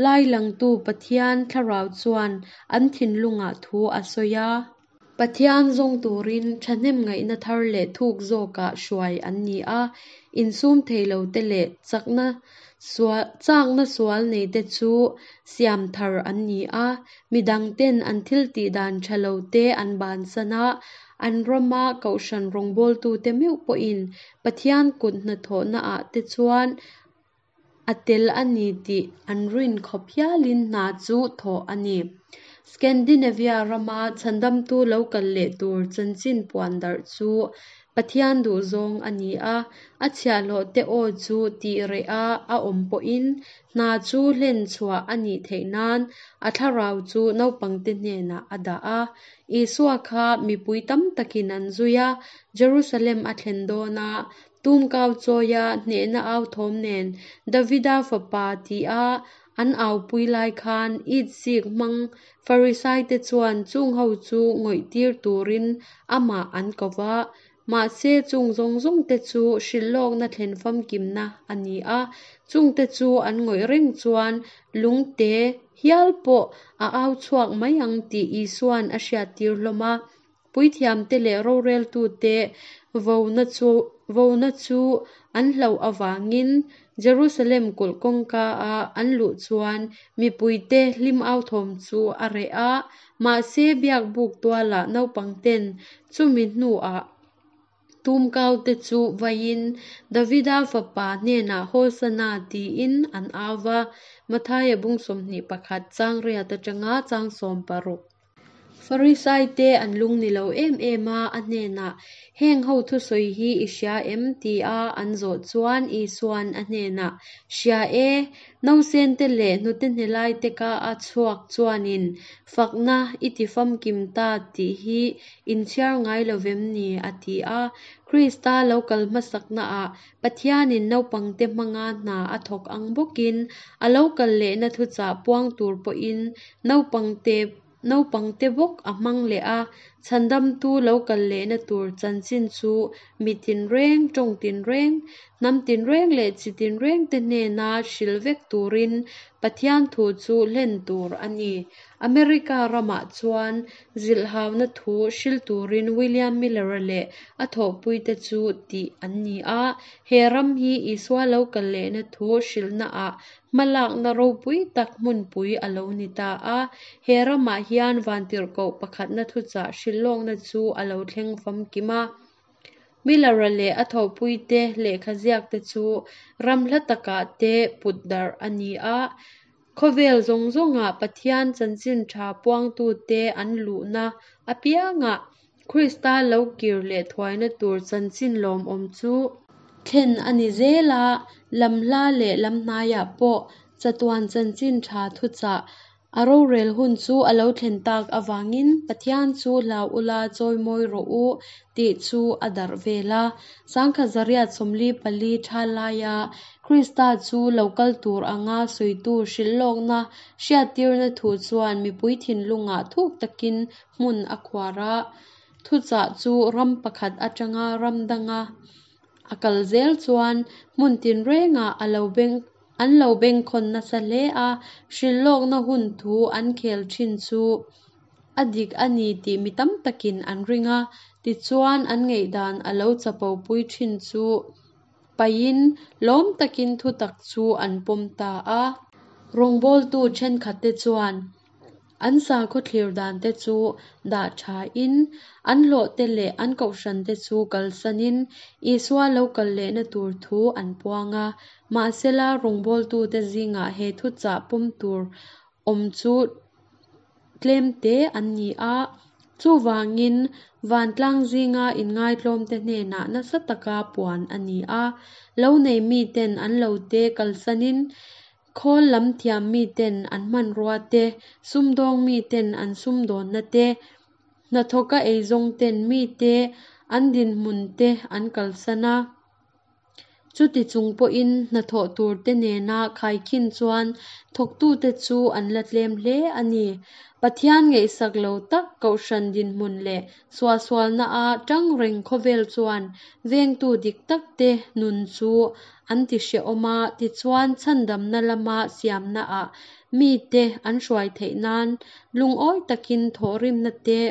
lailangtu Pathian thlarau chuan an thinlungah thu a sawi a. Pathian zawng turin thahnem ngaihna thar leh thuk zawkah hruai an ni a, insum thei lote leh chakna chakna sual neite chu siam thar an ni a, midangten an thiltih dan tha lote an bansan a, an rama kohhran rawngbawltute meuh pawhin Pathian kut hnathawhnaah te chuan a tel a ni tih an rin khawp hialin hna chu thawh a ni. Scandinavia rama chhandamtu lo kal leh tur chanchin puan darh chu Pathian duhzawng a ni a, a chhiahhlawhte aw chu tih reh a a awm pawhin hna chu hlen chhuah a nih theih nan a thlarau chu naupangte hnenah a dah a. Isua kha mipui tam takin an zui a, Jerusalem a thlen dawn a, tumkau chawia hnehna au thawm nen Davida fapa tia an aupui lai khan itzik hmang Farisaite chuan chung ho chu ngawihtir turin amah an ko va. Mahse chung zawng zawngte chu hrilhlawkna thlen famkimna a ni a, chungte chu an ngawih reng chuan lungte hial pawh a au chhuak mai ang tih Isuan a hriattir hlawm a. Puithiamte leh roreltute vona chu an hlauh avangin Jerusalem kulh kawngka-a an luh chuan mipuite hlim au thawm chu a reh a, mahse biakbuk tualah naupangten chumi hnuah tumkaute chu vaiin Davida fapa hnenah Hosana tiin an au va, Mathaia bung 21 chang riat atanga chang 16. Farisaite an lung ni lo em em a, a hnenah, Heng ho thusawi hi i hria em? tia an zawh chuan Isuan a hnenah, Hria e, nausente leh hnute hnelaite ka a chhuak chuanin fakna i ti famkim ta tih hi in chhiar ngai lovem ni? a ti a. Krista lo kal hmasaknaah Pathianin naupangte hmanga hna a thawk ang bawkin a lo kal lehna thuchah puang tur pawhin naupangte Naupangte bawk a hmang leh a, chhandamtu lo kal lehna tur chanchin chu mi tinreng, tawng tinreng, hnam tinreng leh chi tinrengte hnena hrilh vek turin Pathian thu chu hlen tur a ni. America ramah chuan zilhhauna thu hrilh turin William Miller-a leh a thawhpuite chu tih an ni a, he ram hi Isua lo kal lehna thu hrilhnaah Hmalakna ropui tak hmunpui a lo ni ta a, he ramah hian vantirhkoh pakhatna thuchah hrilhlawkna chu a lo thleng famkim a. Miller-a leh a thawhpuite lehkha ziakte chu ram hla takah te put darh a ni a, khawvel zawng zawngah Pathian chanchin tha puangtute an luhna apiangah Krista lo kir leh thuaina tur chanchin lawmawm chu thlen a ni zel a, lam hla leh lam hnaiah pawh chatuan chanchin tha thuchah a rorel hun chu a lo thlen tak avangin Pathian chu hlau ula chawimawi rawh u tih chu a darh vel a. 1944 tha laia Krista chu lo kal tur anga sawitu hrilhlawkna hriattirna thu chuan mipui thinlungah thuk takin hmun a khuar a, thuchah chu ram pakhat atanga ram danga a kal zel chuan hmun tinrengah a lo beng an lo bengkhawn nasa hle a, hrilhlawkna hun thu an khel thin chu a dik a ni tih mi tam takin an ring a, tichuan an ngaihdan a lo chapopui thin chu. paihin lawm takin thutak chu an pawm ta a. Rawngbawltu thenkhatte chuan an sakhaw thlir dante chu dah thain, an hlawhte leh an kohhrante chu kalsanin Isua lo kal lehna tur thu an puang a. Mahsela, rawngbawltute zingah he thuchah pawm tur awm chu tlemte an ni a. Chuvangin, vantlang zinga inngaitlawmte hnenah nasa taka puan a ni a. Lo nei miten an lote kalsanin, khawl lam thiam miten an hmanrua te, sumdawng miten an sumdawnna te, hnathawka eizawngten mite an dinhmun te an kalsan a. Chuti chung pawhin hnathawh turte nena khaikhin chuan thawktute chu an la tlem hle a ni. Pathian ngaihsak lo tak kohhran dinhmun leh suahsualnaa tang reng khawvel chuan vengtu dik takte nun chu an ti hrehawm a, tichuan chhandamna lama siamnaah mite an hruai theih nan lungawi takin thawhrimna te,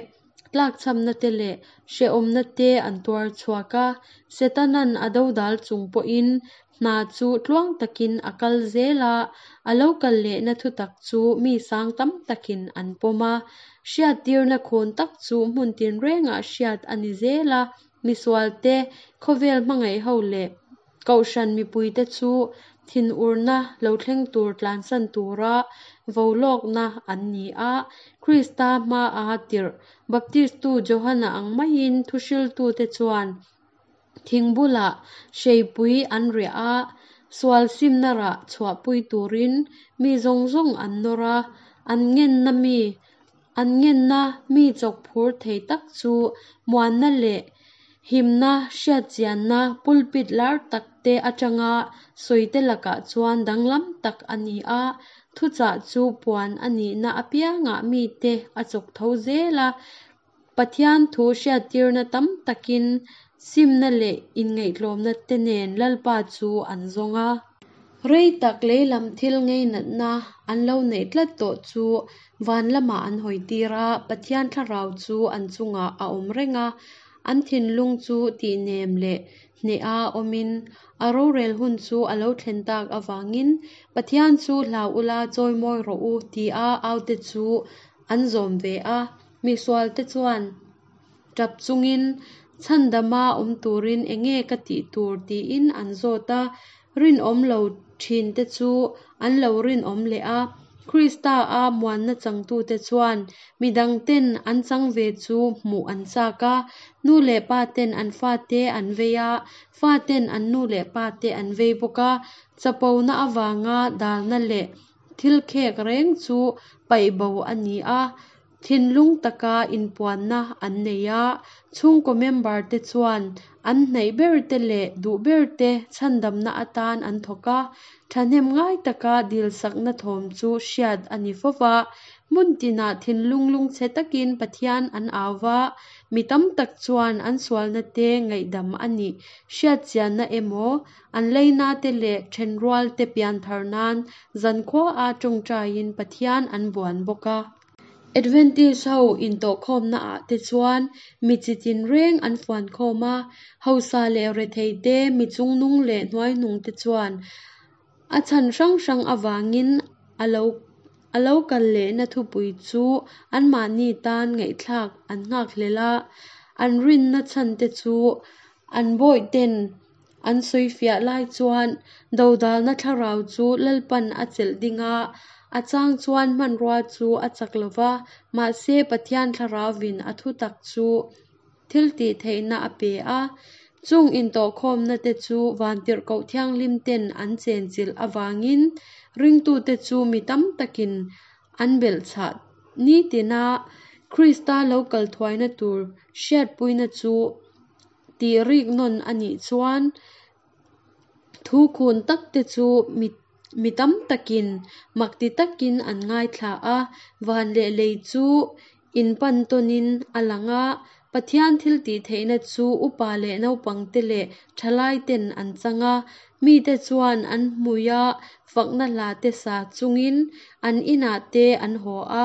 tlakchhamna te leh hrehawmna te an tuar chhuak a. Setanan a dodal chung pawhin hna chu tluang takin a kal zel a, a lo kal lehna thutak chu mi sang tam takin an pawm a. Hriattirna khawn tak chu hmun tinrengah hriat a ni zel a, misualte, khawvel hmangaih ho leh kohhran mipuite chu thinurna lo thleng tur tlansan tura volawkna an ni a. Krista hmaa tirh Baptistu Johana ang maiin thuhriltute chuan thing bulah hreipui an riah a, sual simna rah chhuahpui turin mi zawng zawng an nawr a, an ngenna mi an ngenna mi chawkphur thei tak chu muanna leh himna hriatchianna pulpit lar tak te atanga sawite lakah chuan danglam tak a ni a, thuchah chu puan a nihna apiangah mite a chawk tho zel a, Pathian thu hriattirna tam takin simna leh inngaihtlawmna te nen Lalpa chu an zawng a. Rei tak leilam thil ngeinatna an lo neih tlat tawh chu van lamah an hawi tir a, Pathian thlarau chu an chungah a awm reng a, an thinlung chu tihnem leh hneha awmin a rorel hun chu a lo thlen tak avangin Pathian chu hlau ula chawimawi rawh u tia aute chu an zawm ve a. Misualte chuan tap chungin chhandama awm turin enge ka tih tur tiin an zawt a, rinawm lo thinte chu an lo rinawm leh a. Krista a muanna changtute chuan midangten an chang ve chu hmuh an chak a, nu leh paten an fate an vei a, faten an nu leh pate an vei bawk a, chapona avanga dalna leh thil khek reng chu paih bo a ni a. Thinlung taka inpuanna an nei a, chhungkaw member te chuan an hnaih ber te leh duh ber te chhandamna atan an thawk a, thahnem ngai taka dilsakna thawm chu hriat a ni fo va. Hmun tinah thinlung lungchhe takin Pathian an au va, mi tam tak chuan an sualna te ngaihdam a nih hriatchianna emaw, an leina te leh thenrual te pianthar nan zankhuaa tawngtaiin Pathian an buan bawk a. Adventist ho intawhkhawmna ah te chuan mi chi tinreng an fuankhawm a, hausa leh rethei te, mi chungnung leh hnuaihnung te chuan a chhan hrang hrang avangin a lo a lo kal lehna thupui chu anmahni tan ngaihthlak an nghakhlel a, an rinna chhan te chu an bawihten An sawifiah lai chuan dodalna thlarau chu Lalpan a chelh ding a, a chang chuan hmanrua chu a chak lo va, mahse Pathian thlarauvin a thutak chu thil tih theihna a pe a. Chung intawhkhawmna te chu Vantirhkoh Thianghlim ten an chenchilh avangin ringtute chu mi tam takin an belhchhah nitina Krista lo kal thuaina tur hriatpuina chu tih rik nawn a nih chuan thu khun tak te chu mi mi tam takin mak ti takin an ngaithla a, van leh lei chu inpan tawnin a lang a, Pathian thil tih theihna chu upa leh naupang te leh thalai ten an chang a, mite chuan an hmuia fakna hla te sa chungin an inah te an haw a,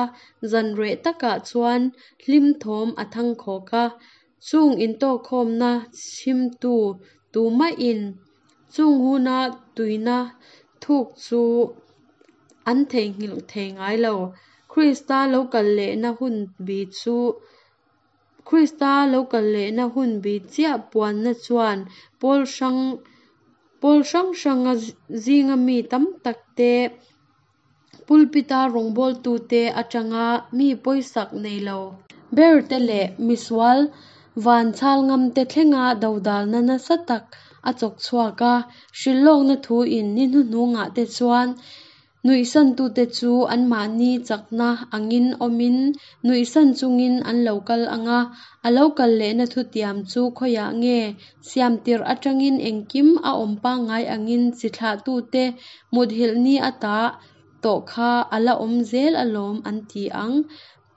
zan reh takah chuan hlim thawm a thangkhawk a. Chung intawkkhawmna chhimtu tumahin Chung huna tuina thuk chu an theihnghilh thei ngai lo. Krista lo kal lehna hun bi chu Krista lo kal lehna hun bi chiah puanna chuan pawl hrang pawl hrang hranga zinga mi tam tak te, pulpit-a rawngbawltute atanga mi pawisak nei lo ber te leh misual van chhal ngam te thlenga dodalna nasa tak a chawk chhuak a. Hrilhlawkna thuin ni hnuhnungah te chuan nuihsantute chu anmahni chakna angin awmin nuihsan chungin an lo kal ang a, a lo kal lehna thutiam chu khawiah nge siam tirh atangin engkim a awm pangngai angin chi thlahtute muthilh ni ata tawh kha a la awm zel alawm an ti ang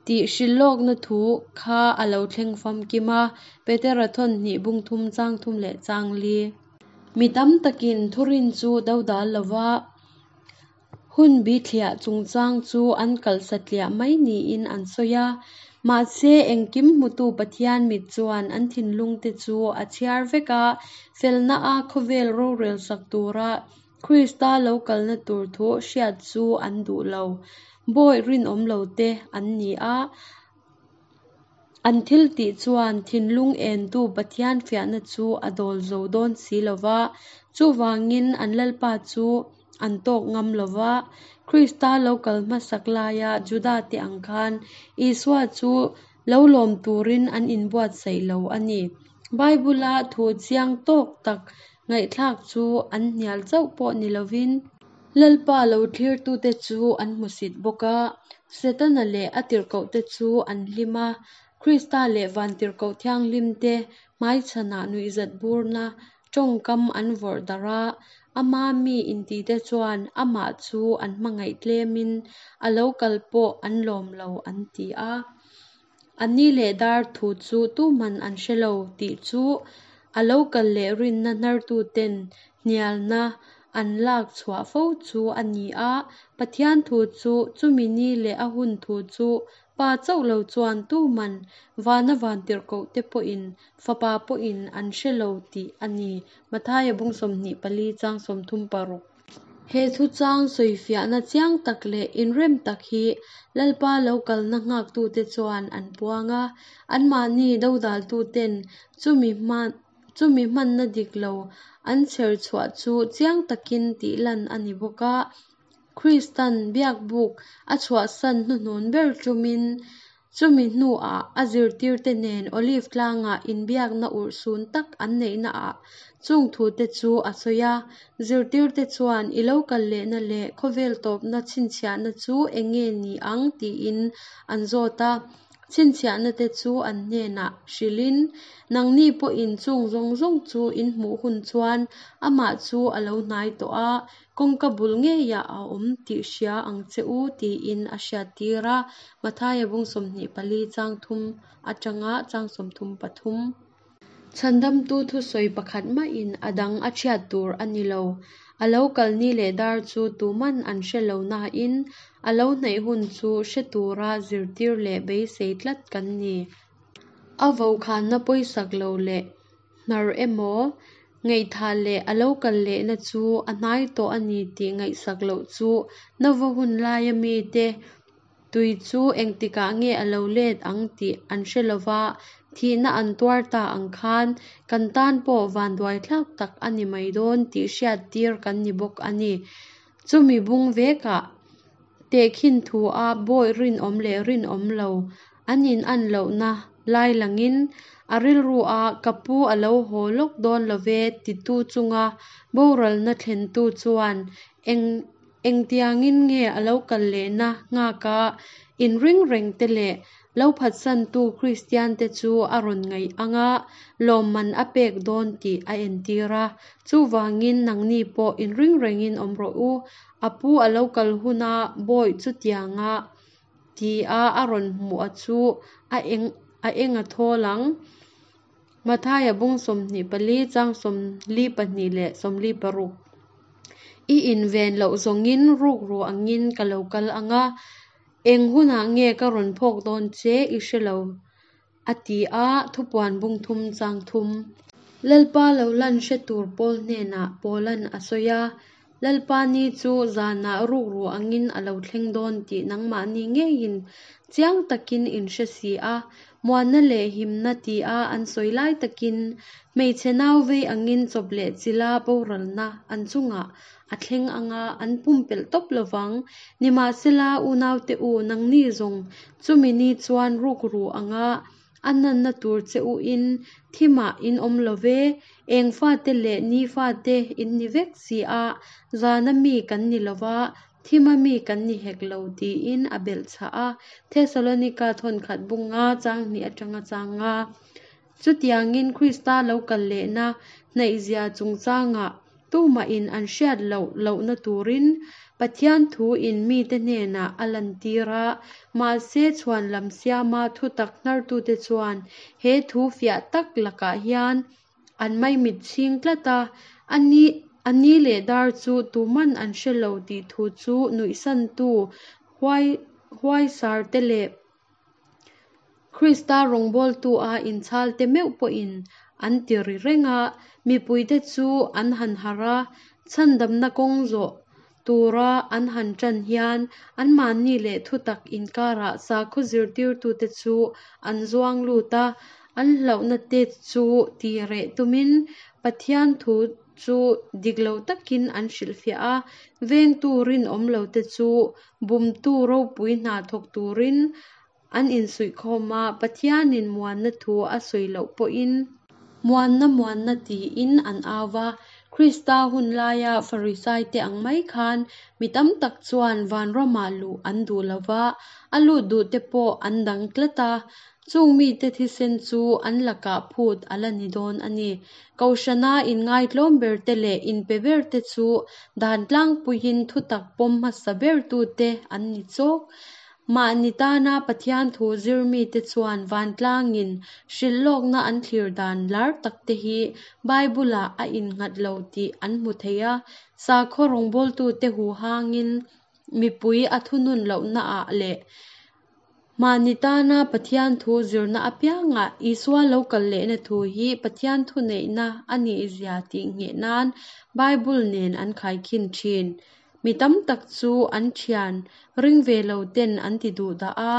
tih hrilhlawkna thu kha a lo thleng famkim a, Petera thawn hnih bung thum chang thum leh chang li. Mi tam takin thurin chu dodal lova hun bithliah chungchang chu an kalh satliah mai niin an sawi a. Mahse, engkim hmutu Pathian mit chuan an thinlungte chu a chhiar vek a, felna a khawvel rorel sak tura Krista lo kalna tur thu hriat chu an duh lo. Bawi rinawm lote an ni a, an thiltih chuan thinlung entu Pathian fiahna chu a dawl zo dawn si lo va, chuvangin an Lalpa chu an tawk ngam lo va. Krista lo kal hmasak laia Judate ang khan Isua chu lo lawm turin an inbuatsaih lo a ni. Bible-a thu chiang tawk tak ngaihthlak chu an hnial chauh pawh ni lovin, Lalpa lo thlirtute chu an hmusit bawk a, Setana leh a tirhkohte chu an hlim a, Krista leh vantirhkoh thianghlimte hmaichhanah nuihzat burna tawngkam an vawrh darh a, ama mi intite chuan amah chu an hmangaih tlemin a lo kal pawh an lawm lo an ti a. A ni leh dar thu chu tuman an hre lo tih chu a lo kal leh rinna hnartuten hnialna an lak chhuah fo chu a ni a, Pathian thu chu chumi ni leh a hun thu chu Pa chauh lo chuan tuman vana vantirhkohte pawhin Fapa pawhin an hre lo tih a ni, Mathaia bung 24 chang 36. He thuchang sawifiahna chiang tak leh inrem tak hi Lalpa lo kalna nghaktute chuan an puang a, anmahni dodaltuten chumi hman chumi hmanna dik lo an chher chhuah chu chiang takin tihlan a ni bawk a. Kristan biakbuk a chhuahsan hnuhnun ber tumin chumi hnuah a zirtirte nen Olive tlangah inbiakna urhsun tak an neihnaah chung thute chu a sawi a. Zirtirte chuan i lo kal lehna leh khawvel tawpna chhinchhiahna chu eng nge ni ang tiin an zawt a. Chhinchhiahnate chu an hnenah hrilhin, Nangni pawhin chung zawng zawng chu in hmuh hun chuan amah chu a lo hnai tawh a, kawngka bul ngeiah a awm tih hria ang che u, tiin a hriattir a. Mathaia bung 24 chang thum atanga chang 33. Chhandamtu thusawi pakhat mahin a dang a chhiat tur a ni lo. A lo kal ni leh dar chu tuman an hre lo nain a lo hnaih hun chu hre tura zirtir leh beisei tlat kan ni. A vokhanna pawisak lo leh hnar emaw, ngaihthah leh a lo kal lehna chu a hnai tawh a ni tih ngaihsak loh chu Nova hun laia mite Tui chu engtikah nge a lo let ang tih an hre lova, thihna an tuar ta ang khan kan tan pawh vanduaithlak tak a ni mai dawn tih hriat tir kan ni bawk a ni. Chumi bung vekah tehkhin thua bawi rinawm leh rinawm lo an inan lohna lai langin a rilrua ka pu a lo haw lawk dawn love titu chunga boralna thlentu chuan eng Engtiangin nge a lo kal lehna nghaka inring reng te leh lo phatsantu Kristiante chu a rawn ngaih anga lawmman a pek dawn tih a entir a. Chuvangin nangni pawh inring rengin awm rawh u, a pu a lo kal huna bawi chutianga tia a rawn hmuh a chu a eng a eng a thawl ang. Mathaia bung 24 chang 42 leh 46. I inven loh zawngin rukru angin ka lo kal ang a, eng hunah nge ka rawn phawk dawn che i hre lo, a ti a, thupuan bung thum chang thum. Lalpa lo lan hre tur pawl hnenah Paula'n a sawi a, Lalpa ni chu zanah rukru angin a lo thleng dawn tih nangmahni ngeiin chiang takin in hre si a, muanna leh himna tia an sawi lai takin hmeichhe nau vei angin chawp leh chila boralna an chungah a thleng anga an pumpelh tawp lovang. Nimahsela, unaute u, nangni zawng chumi ni chuan rukru anga A nanna tur che u in thimah in awm lo ve, eng fate leh ni fate in ni vek si a, zana mi kan ni lo va, thima mi kan ni hek lo tiin a belh chhah a. Thesalonika thawnkhat bunga chang hnih atanga chang nga. Chutiangin Krista lo kal lehna hnaihzia chungchangah Tumahin an hriat loh lohna turin Pathian thu in mite hnenah a lantir a, mahse chhuan lam siama thutak hnartute chuan he thu fiah tak lakah hian an maimit chhing tlat a, a ni a ni leh dar chu tuman an hre lo tih thu chu nuihsantu huai huaisarte leh Krista rawngbawltu a inchhalte meuh pawhin an ti ri reng a, mipuite chu an han harh a, chhandamna kawng zawh tura an han ṭan hian anmahni leh thutak inkarah sakhaw zirtirtute chu an zuang lut a, an hlauhna te chu ti reh tumin Pathian thu chu dik lo takin an hrilhfiah a, vengtu rinawm lote chu bumtu ropui hna thawk turin an insuihkhawm a, Pathianin muanna thu a sawi loh pawhin muanna muanna tiin an au va. Krista hun laia Farisaite ang mai khan mi tam tak chuan vanramah luh an duh lo va, a lut duhte pawh an dang tlat a. Chung mite thisen chu an lakah phut a la ni dawn a ni. Kohhrana inngaitlawm berte leh inpe berte chu dan tlangpuiin thutak pawm hmasa bertute an ni chawk. Mahni tana Pathian thu zir mite chuan vantlangin hrilhlawkna an thlir dan lar takte hi Bible-ah a innghat lo tih an hmu thei a, sakhaw rawngbawltute huhangin mipui a thunun lohnaah leh Mahni tana Pathian thu zirna apiangah Isua lo kal lehna thu hi Pathian thuneihna a nihzia tih ngheh nan Bible nen an khaikhin thin. Mi tam tak chu an thian ring ve lo ten an ti duh dah a,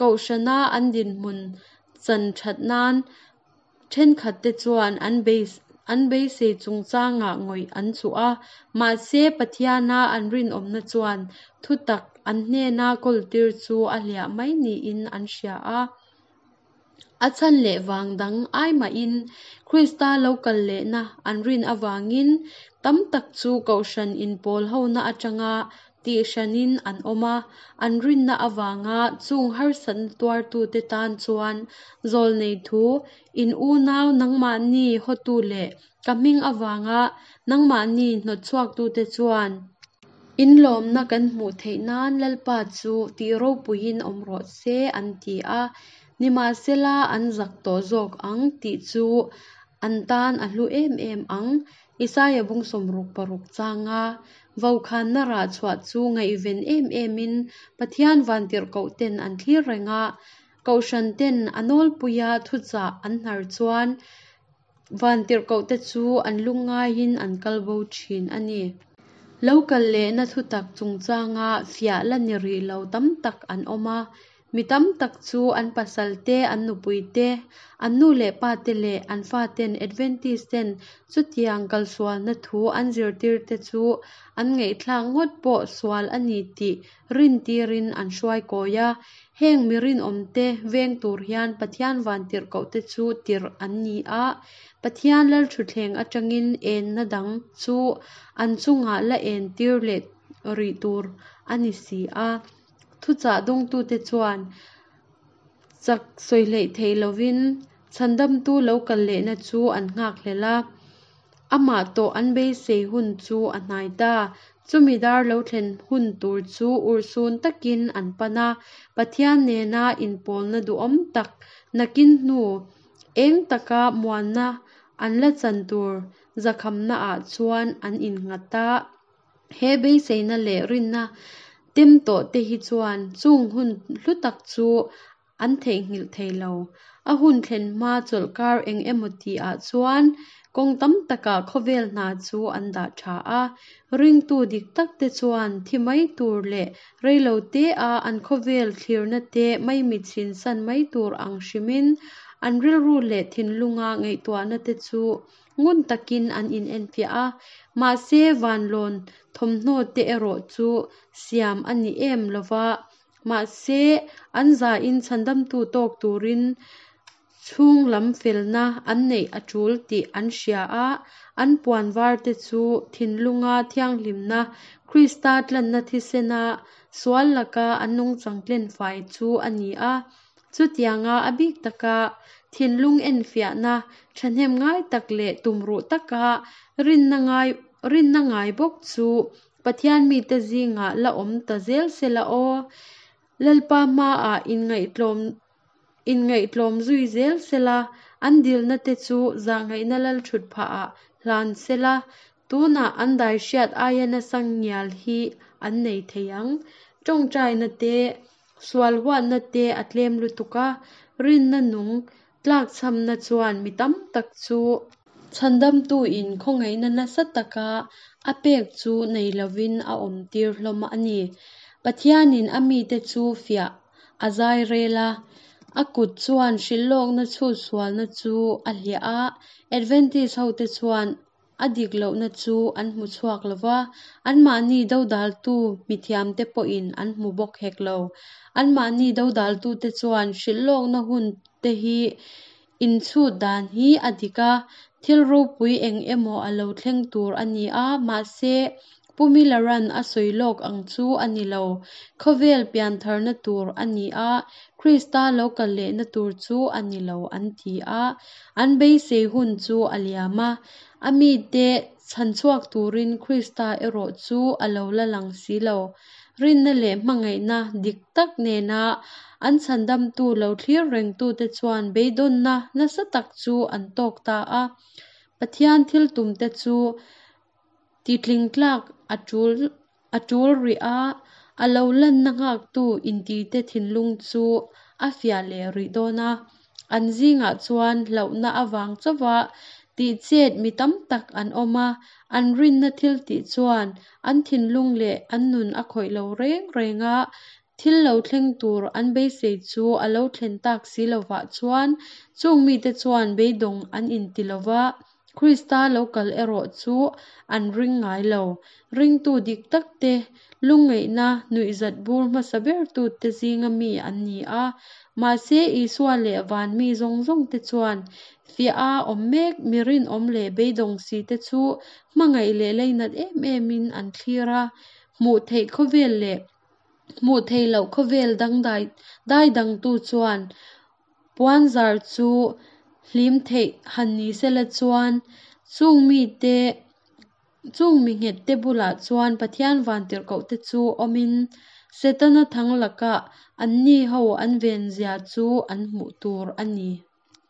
kohhrana an dinhmun chan that nan Thenkhatte chuan an an beisei chungchangah ngawih an chuh a, mahse Pathiana an rinawmna chuan thutak an hnena kawltir chu a hliah mai niin an hria a. A chhan leh vang dang ai mahin Krista lo kal lehna an rin avangin tam tak chu kohhran inpawl hona atanga Tih hranin an awm a, an rinna avanga chung harsatna tuartute tan chuan zawlnei thu, in unau nangmahni hawtu leh ka hming avanga nangmahni hnawtchhuaktute chuan in lawmna kan hmuh theih nan Lalpa chu tih ropuiin awm rawh se an ti a, nimahsela an zak tawh zawk ang tih chu an tan a hlu em em ang. Isaia bung 66 changa vokhanna rah chhuah chu ngaihven em emin Pathian vantirhkoh ten an thlir reng a, Kohhran ten a nawlpuia thuchah an hnar chuan vantirhkoh te chu an lungngaiin an kal bo thin a ni. Lo kal lehna thutak chungchanga fiah la ni rih lo tam tak an awm a, Mi tam tak chu an pasal te, an nupui te, an nu leh pa te leh an faten Adventist ten chutiang kalsualna thu an zirtir te chu an ngaihthlak ngawt pawh sual a ni tih rintirin an hruai kawi a. Heng mi rinawmte veng tur hian Pathian vantirhkohte chu tirh an ni a, Pathian lalthutthleng atangin enna dang chu an chungah la entir leh rih tur a ni si a. Thuchah dawngtute chuan chak sawi hleih theih lovin chhandamtu lo kal lehna chu an nghak hlel a, amah tawh an beisei hun chu a hnai ta. Chumi dar lo thlen hun tur chu urhsun takin an pan a, Pathian nena inpawlna duhawm tak nakin hnu eng taka muanna an la chan tur zakhamnaah chuan an innghat a. He beiseina leh rinna tem tawh te hi chuan chung hun hlu tak chu an theihnghilh thei lo. A hun thlen hma chawlhkar eng emaw tihah chuan kawng tam takah khawvel hna chu an dah tha a. Ringtu dik takte chuan thi mai tur leh reilo te-a an khawvel thlirna te maimit san mai tur ang hrimin an rilru leh thinlunga ngaihtuahna te chu ngun takin an inenfiah a. Mahse, vanlawn thawmhnaw te erawh chu siam a ni em lova. Mahse, an zain chhandamtu tawk turin chhung lam felna an neih a tul tih an hria a, an puan var te chu thinlunga thianghlimna, Krista tlanna thisena sual laka an nungchang tlenfai chu a ni a. Chutianga a bik taka thinlung enfiahna thahnem ngai tak leh tumruh taka rinna ngai bawk chu Pathian mite zingah la awm ta zel sela aw. Lalpa hmaah inngaihtlawm zui zel sela, an dilna te chu zahngaihna lalthut phahah hlan sela, tunah an dai hriat aia nasa ngial hi an nei thei ang. Tawngtaina te, sual huatna te a tlem lutuk a, rinna nung tlakchhamna chuan mi tam tak chu chhandamtu in khawngaihna nasa taka a pek chu nei lovin a awm tir hlawm a ni. Pathianin a mite chu fiah a zai rel a, a kut chuan hrilhlawkna chhut sualna chu a hliah a, Adventist hote chuan a dik lohna chu an hmu chhuak lova, anmahni dodaltu mithiamte pawhin an hmu bawk hek lo. Anmahni dodaltute chuan hrilhlawkna hun te hi inchhut dan hi a dik a, thil ropui eng emaw a lo thleng tur a ni a, mahse, Pu Miller-a'n a sawi lawk ang chu a ni lo. Khawvel piantharna tur a ni a, Krista lo kal lehna tur chu a ni lo an ti a. An beisei hun chu a liam a, a mite chhanchhuak turin Krista erawh chu a lo la lang si lo. Rinna leh hmangaihna dik tak nena an chhandamtu lo thlir rengtute chuan beidawnna nasa tak chu an tawk ta a. Pathian thil tumte chu titling tlak a tul rih a, a lo lanna nghaktu intite thinlung chu a fiah leh rih dawn a. An zingah chuan hlauhna avang chauha tihchet mi tam tak an awm a, an rinna thil tih chuan an thinlung leh an nun a khawih lo reng reng a, thil lo thleng tur an beisei chu a lo thlen tak si lovah chuan chung mite chuan beidawng an inti lova, Krista lo kal erawh chu an ring ngai lo. Ringtu dik takte lungngaihna nuihzat bur hmasa bertute zinga mi an ni a, mahse Isua leh van mi zawng zawng te chuan fiah a awm mek mi rinawm leh beidawng si te chu hmangaih leh leinat em emin an thlir a, hmuh theih khawvel leh hmuh theih loh khawvel dangdai dai dangtu chuan puanzar chu hlim theih han ni sela chuan chung mite chung mi nghet te bulah chuan Pathian vantirhkoh te chu awmin Setana thang laka anni ho an ven zia chu an hmuh tur a ni.